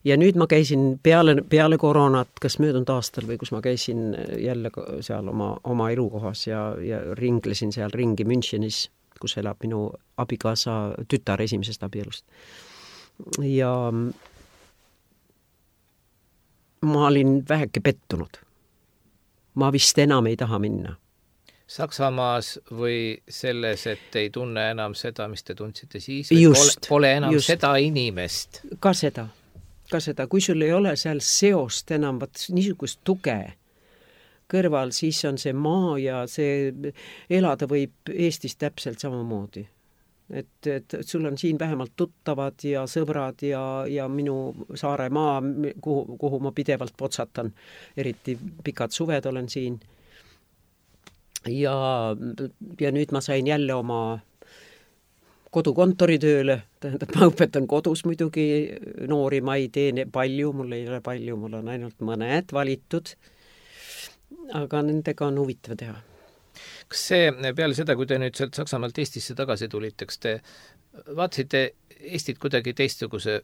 Ja nüüd ma käisin peale, peale koroonat, kas möödunud aastal või kus ma käisin jälle seal oma, oma elukohas ja, ja ringlesin seal ringi Münchenis, kus elab minu abikaasa tütar esimesest abielust. Ja ma olin väheke pettunud. Ma vist enam ei taha minna. Saksamaas või selles, et ei tunne enam seda, mis te tundsite siis? Just, pole, pole enam just. Seda inimest? Ka seda, ka seda. Kui sul ei ole seal seost enam, vaat niisugust tuge kõrval, siis on see maa ja see elada võib Eestis täpselt samamoodi. Et, et sul on siin vähemalt tuttavad ja sõbrad ja, ja minu saare maa, kuhu, kuhu ma pidevalt potsatan. Eriti pikad suved olen siin. Ja, ja nüüd ma sain jälle oma kodukontoritööle. Tähendab, ma õpetan kodus muidugi noori, ma ei tee palju, mul ei ole palju, mul on ainult mõned valitud. Aga nendega on huvitav teha. Kas see peale seda, kui te nüüd sealt Saksamaalt Eestisse tagasi tulite, kas te vaatasite Eestit kuidagi teistsuguse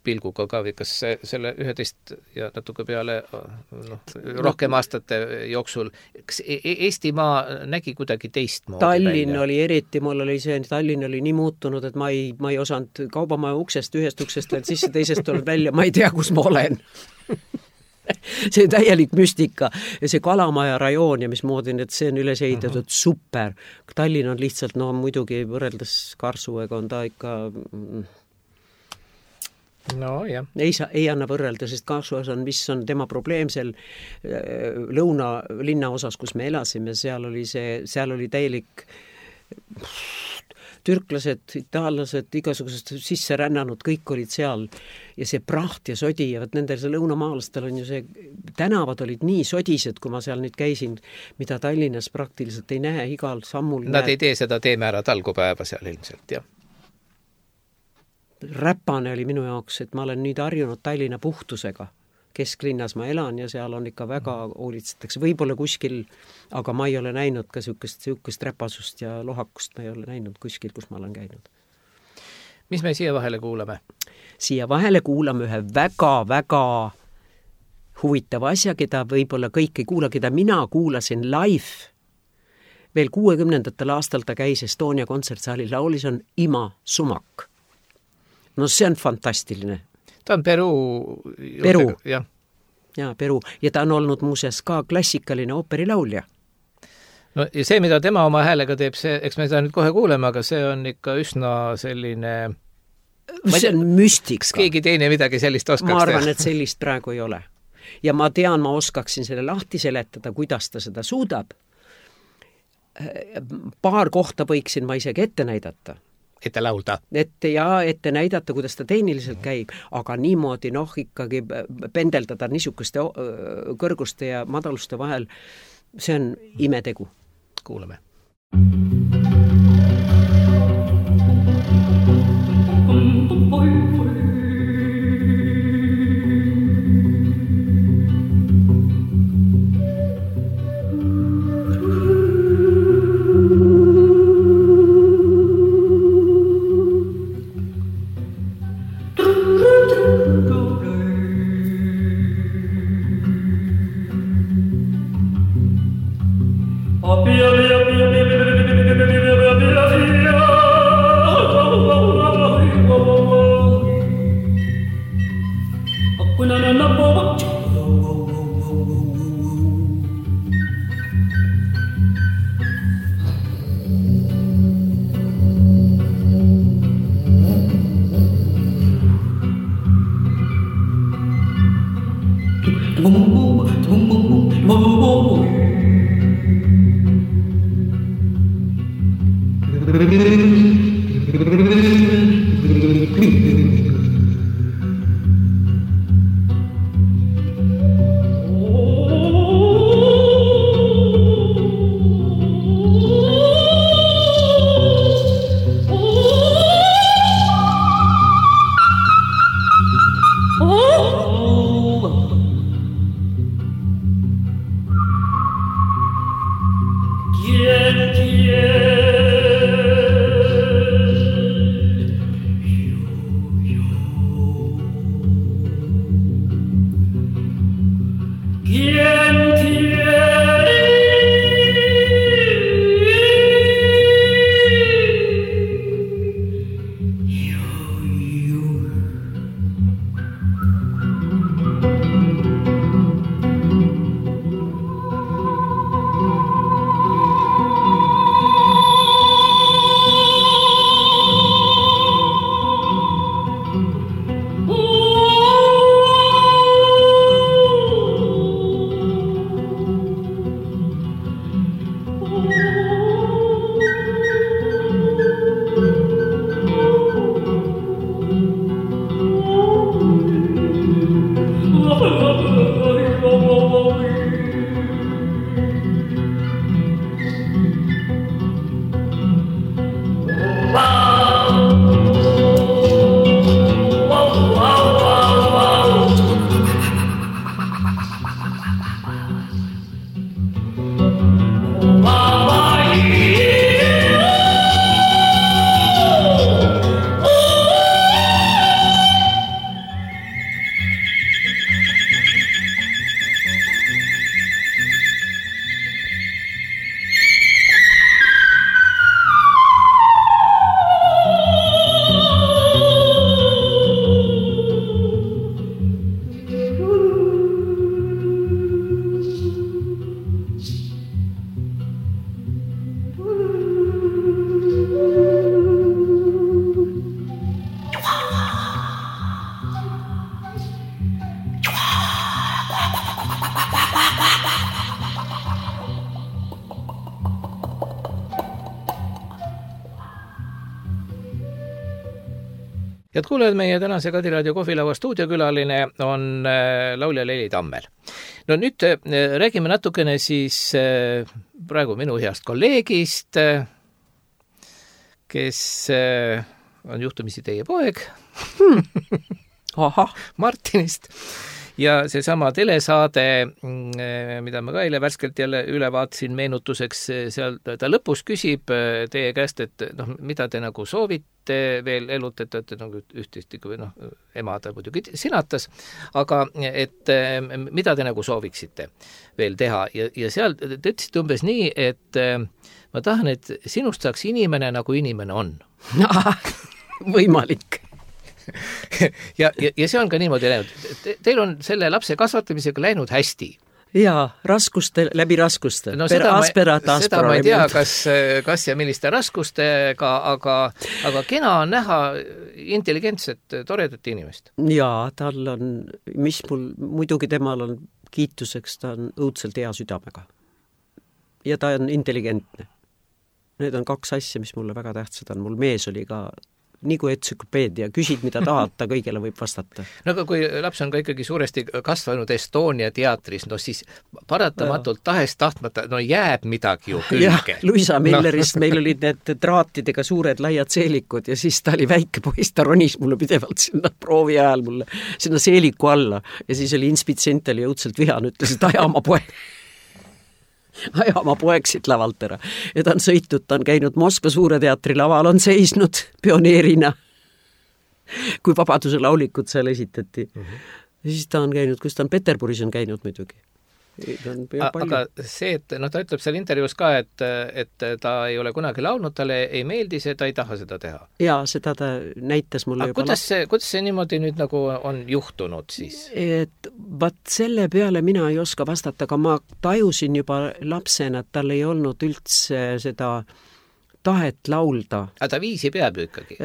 pilguga ka või kas selle üheteist ja natuke peale no, rohkem aastate jooksul, kas Eestimaa nägi kuidagi teistmoodi Tallinn välja? Oli eriti, mul oli see, Tallinn oli nii muutunud, et ma ei, ma ei osanud kaubamaja uksest, ühest uksest veel sisse, teisest tuleb välja, ma ei tea, kus ma olen. See täielik müstika ja see Kalamaja rajoon ja mismoodi, et see on üles ehitatud uh-huh. super. Tallinn on lihtsalt, no muidugi võrreldes Karsuega on ta ikka no, jah. Ei, saa, ei anna võrrelda, sest Karsuas on, mis on tema probleem seal lõuna linna osas, kus me elasime, seal oli see, seal oli täielik türklased, itaallased, igasugused sisse rännanud, kõik olid seal ja see praht ja sodi ja võt nendel see lõunamaalastel on ju see, tänavad olid nii sodised, kui ma seal nüüd käisin, mida Tallinnas praktiliselt ei näe igal sammul. Nad näe. Ei tee seda teemäära talgupäeva seal ilmselt, jah. Räpane oli minu jaoks, et ma olen nüüd harjunud Tallinna puhtusega. Kesklinnas ma elan ja seal on ikka väga hoolitsetakse. Võib-olla kuskil, aga ma ei ole näinud ka sihukest, sihukest räpasust ja lohakust ma ei ole näinud kuskil, kus ma olen käinud. Mis me siia vahele kuulame? Siia vahele kuulame ühe väga-väga huvitava asja, keda võib-olla kõik ei kuula, keda mina kuulasin live. Veel kuuekümnendatel aastal ta käis Estonia kontsertsaali laulis on Ima Sumak. No see on fantastiline. Ta on Peru. Peru. Jah. Ja, Peru. Ja ta on olnud muuseas ka klassikaline ooperilaulja. No ja see, mida tema oma häälega teeb, see, eks me seda nüüd kohe kuuleme, aga see on ikka üsna selline... See on müstika. Keegi teine midagi sellist oskaks teha. Ma arvan, et sellist praegu ei ole. Ja ma tean, ma oskaksin selle lahti seletada, kuidas ta seda suudab. Paar kohta võiksin ma isegi ette näidata. Ette laulda. Ette ja ette näidata, kuidas ta tehniliselt käib, aga niimoodi noh ikkagi pendeldada niisuguste kõrguste ja madaluste vahel, see on imetegu. Kuulame. Head kuulajad, meie tänase Kadiraadio kohvilaua stuudiokülaline on laulja Leili Tammel. No nüüd räägime natukene siis praegu minu heast kolleegist, kes on juhtumisi teie poeg Aha. Martinist. Ja seesama telesaade, mida ma ka eile värskelt jälle üle vaatasin meenutuseks, seal ta lõpus küsib teie käest, et noh, mida te nagu soovite veel elult, et te nagu ühtesti, noh, ema ta muidugi sinatas, aga et mida te nagu sooviksite veel teha. Ja, ja seal te ütlesite umbes nii, et ma tahan, et sinust saaks inimene, nagu inimene on. Võimalik. ja, ja, ja see on ka niimoodi läinud. Te, teil on selle lapse kasvatamisega läinud hästi. Jaa, raskuste, läbi raskuste. No seda, asperat, ma, seda ma ei tea, kas, kas ja milliste raskustega, aga, aga kena on näha intelligentset, toredat inimest. Jaa, tal on, mis mul, muidugi temal on kiituseks, ta on õudselt hea südamega. Ja ta on intelligentne. Need on kaks asja, mis mulle väga tähtsad on. Mul mees oli ka nii kui entsüklopeedia, küsid, mida tahad, ta kõigele võib vastata. No aga kui laps on ka ikkagi suuresti kasvanud Estonia teatris, no siis paratamatult tahest tahtmata, no jääb midagi ju külge. Jah, Luisa Millerist no. Meil olid need traatidega suured laiad seelikud ja siis ta oli väike poiss, ta ronis mulle pidevalt sinna proovi ajal mulle, sinna seeliku alla ja siis oli inspitsient oli õudselt vihan, ütles, et aja oma poeg. Aja oma poeg siit lavalt ära. Ja ta on sõitnud, ta on käinud Moskva Suure teatri laval, on seisnud pioneerina, kui Vabaduse laulikud seal esitati. Mm-hmm. Ja siis ta on käinud, kus ta on Peterburis on käinud muidugi. A, aga see, et no ta ütleb seal intervjuus ka, et, et ta ei ole kunagi laulnud, talle ei meeldi see, ta ei taha seda teha. Jaa, seda ta näitas mulle aga juba kuidas see, kuidas see niimoodi nüüd nagu on juhtunud siis? Et vaat selle peale mina ei oska vastata, aga ma tajusin juba lapsena, et tal ei olnud üldse seda tahet laulda. Aga ta viisi peab ju ikkagi?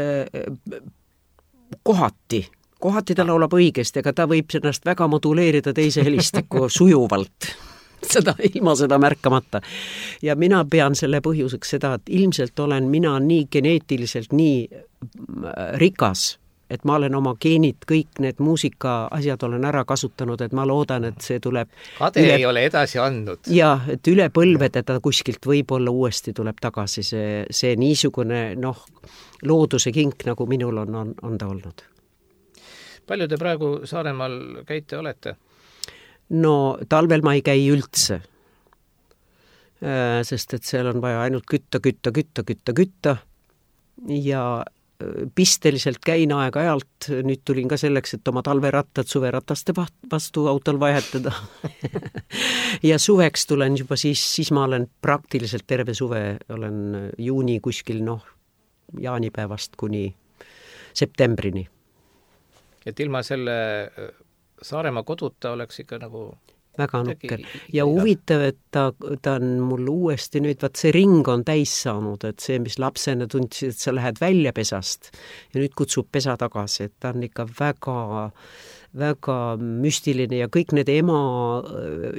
Kohati. Kohati ta laulab õigesti, aga ta võib ennast väga moduleerida teise helistiku sujuvalt. Seda ilma seda märkamata. Ja mina pean selle põhjuseks seda, et ilmselt olen mina nii geneetiliselt nii rikas, et ma olen oma geenid, kõik need muusika asjad olen ära kasutanud, et ma loodan, et see tuleb... Kade üle... ei ole edasi andnud. Jaa, et üle põlvede ta kuskilt võib-olla uuesti tuleb tagasi see, see niisugune noh, looduse kink, nagu minul on, on, on ta olnud. Palju te praegu Saaremaal käite olete? No talvel ma ei käi üldse. sest et seal on vaja ainult kütta, kütta, kütta, kütta, kütta ja pisteliselt käin aeg-ajalt, nüüd tulin ka selleks, et oma talverattad suverataste vastu autol vahetada. ja suveks tulen juba siis, siis ma olen praktiliselt terve suve, olen juuni kuskil, noh, jaanipäevast kuni septembrini. Et ilma selle Saaremaa koduta oleks ikka nagu väga nukker. Ja huvitav, et ta, ta on mul uuesti nüüd, vaat see ring on täis saanud, et see, mis lapsena tundsid, et sa lähed välja pesast ja nüüd kutsub pesa tagasi, et ta on ikka väga, väga müstiline ja kõik need ema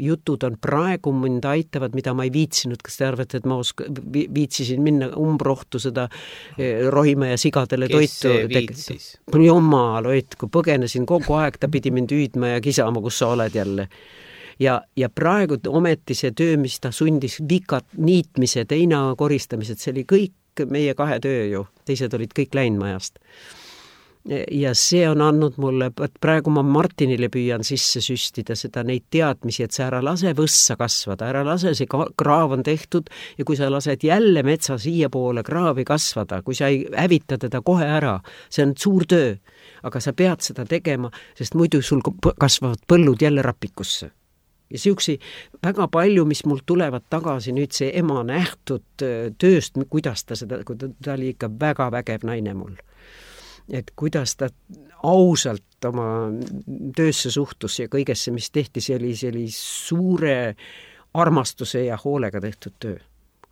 jutud on praegu mind aitavad, mida ma ei viitsinud, kas te arvate, et ma oska, viitsisin minna umbrohtu seda rohima ja sigadele Kes toitu. Kes viitsis? Jumal, oit, kui põgenesin kogu aeg, ta pidi mind hüüdma ja kisama, kus sa oled jälle. Ja, ja praegu ometi see töö, mis ta sundis, vikat niitmise, teina koristamised, see oli kõik meie kahe töö ju, teised olid kõik läinud majast. Ja see on andnud mulle, praegu ma Martinile püüan sisse süstida seda neid teadmisi, et sa ära lase võssa kasvada, ära lase, see kraav on tehtud ja kui sa lased jälle metsa siia poole kraavi kasvada, kui sa ei hävita teda kohe ära, see on suur töö, aga sa pead seda tegema, sest muidu sul kasvavad põllud jälle rapikusse. Ja siuksi väga palju, mis mul tulevad tagasi nüüd see ema nähtud tööst, kuidas ta seda, kui ta, ta oli ikka väga vägev naine mul. Et kuidas ta ausalt oma töösse suhtus ja kõigesse, mis tehti, see oli, see oli suure armastuse ja hoolega tehtud töö.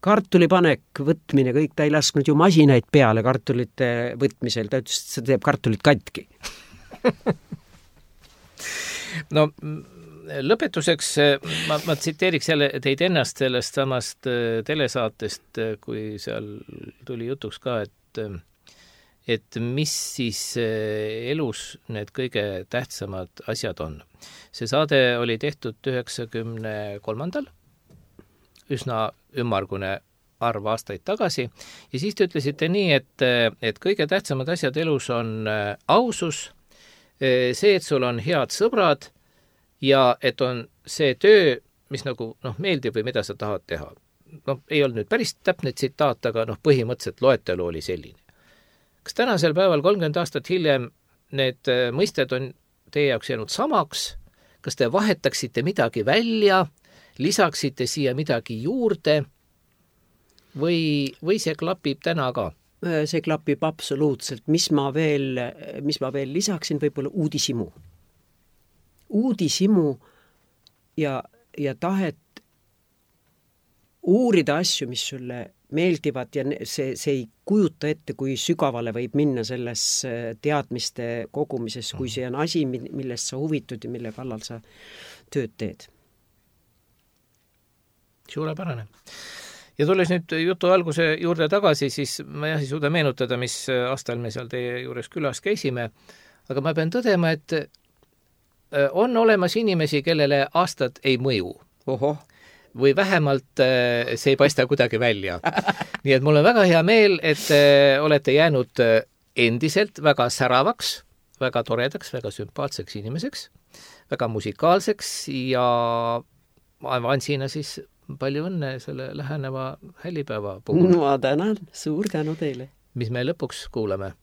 Kartulipanek, võtmine, kõik, ta ei lasknud ju masinaid peale kartulite võtmisel, ta ütles, et see teeb kartulit katki. no lõpetuseks ma, ma tsiteeriks jälle teid ennast sellest samast telesaatest, kui seal tuli jutuks ka, et, et mis siis elus need kõige tähtsamad asjad on. See saade oli tehtud üheksakümne kolmandal, üsna ümmargune arv aastaid tagasi, ja siis te ütlesite nii, et, et kõige tähtsamad asjad elus on ausus, see, et sul on head sõbrad, ja et on see töö, mis nagu noh, meeldib või mida sa tahad teha. No ei olnud nüüd päris täpne tsitaat, aga noh, põhimõtteliselt loetelu oli selline. Kas tänasel päeval kolmkümmend aastat hiljem need mõisted on teie jaoks jäänud samaks? Kas te vahetaksite midagi välja, lisaksite siia midagi juurde või, või see klapib täna ka? See klapib absoluutselt. Mis ma veel, mis ma veel lisaksin, võib-olla uudisimu. uudisimu ja, ja tahet uurida asju, mis sulle meeldivad ja see, see ei kujuta ette, kui sügavale võib minna selles teadmiste kogumises, kui see on asi, millest sa huvitud ja mille kallal sa tööd teed. Suurepärane. Ja tulles nüüd jutu alguse juurde tagasi, siis ma jah ei suuda meenutada, mis aastal me seal teie juures külas käisime, aga ma pean tõdema, et on olemas inimesi, kellele aastad ei mõju. Oho. Või vähemalt see ei paista kuidagi välja. Nii et mul on väga hea meel, et olete jäänud endiselt väga säravaks, väga toredaks, väga sümpaatseks inimeseks, väga musikaalseks ja ma Ansina siis palju õnne selle läheneva hällipäeva puhul. Ma tänan, suur tänu teile. Mis me lõpuks kuulame?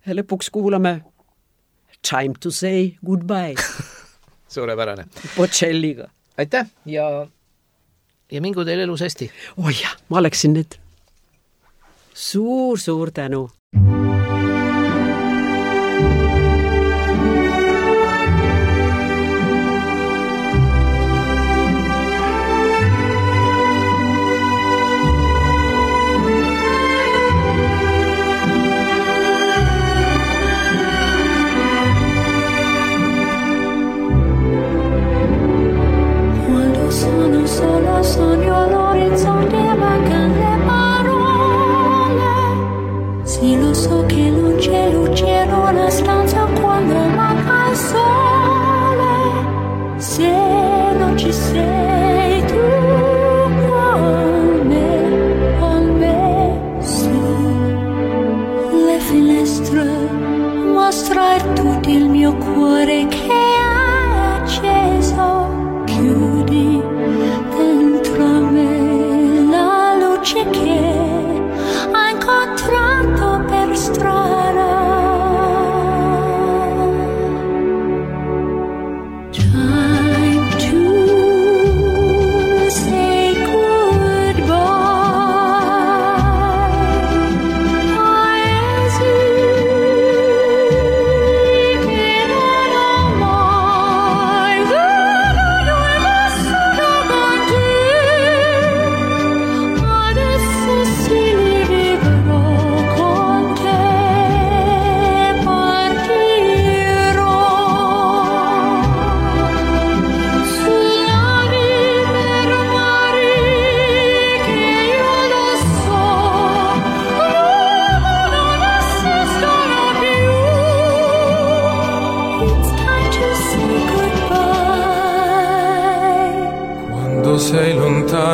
Lõpuks kuulame Time to say goodbye. Suurepärane. Bocelliga. Aitäh ja, ja mingu teil elus hästi. Oi jah, ma oleksin nüüd. Suur, suur tänu. Sogno all'orizzonte, mancano le parole. Si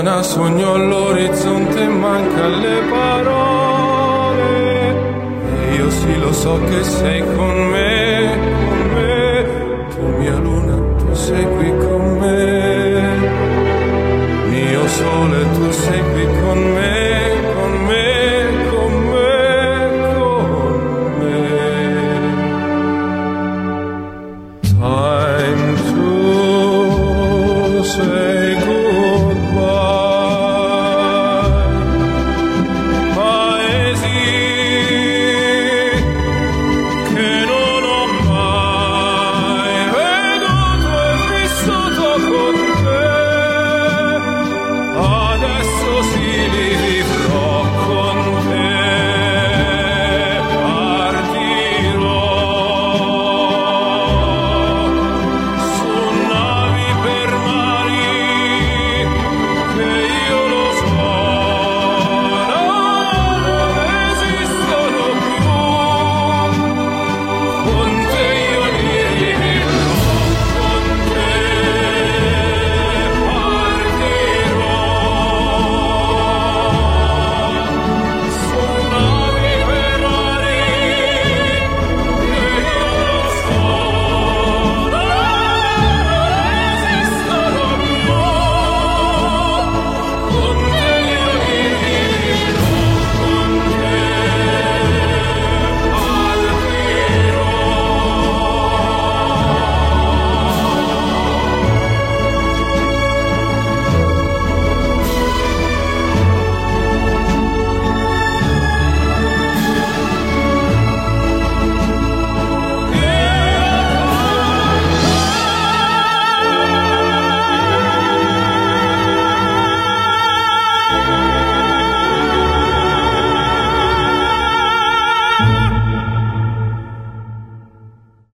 lontana sogno all'orizzonte, manca le parole. E io sì lo so che sei con me, con me. Tu mia luna, tu sei qui con me. Mio sole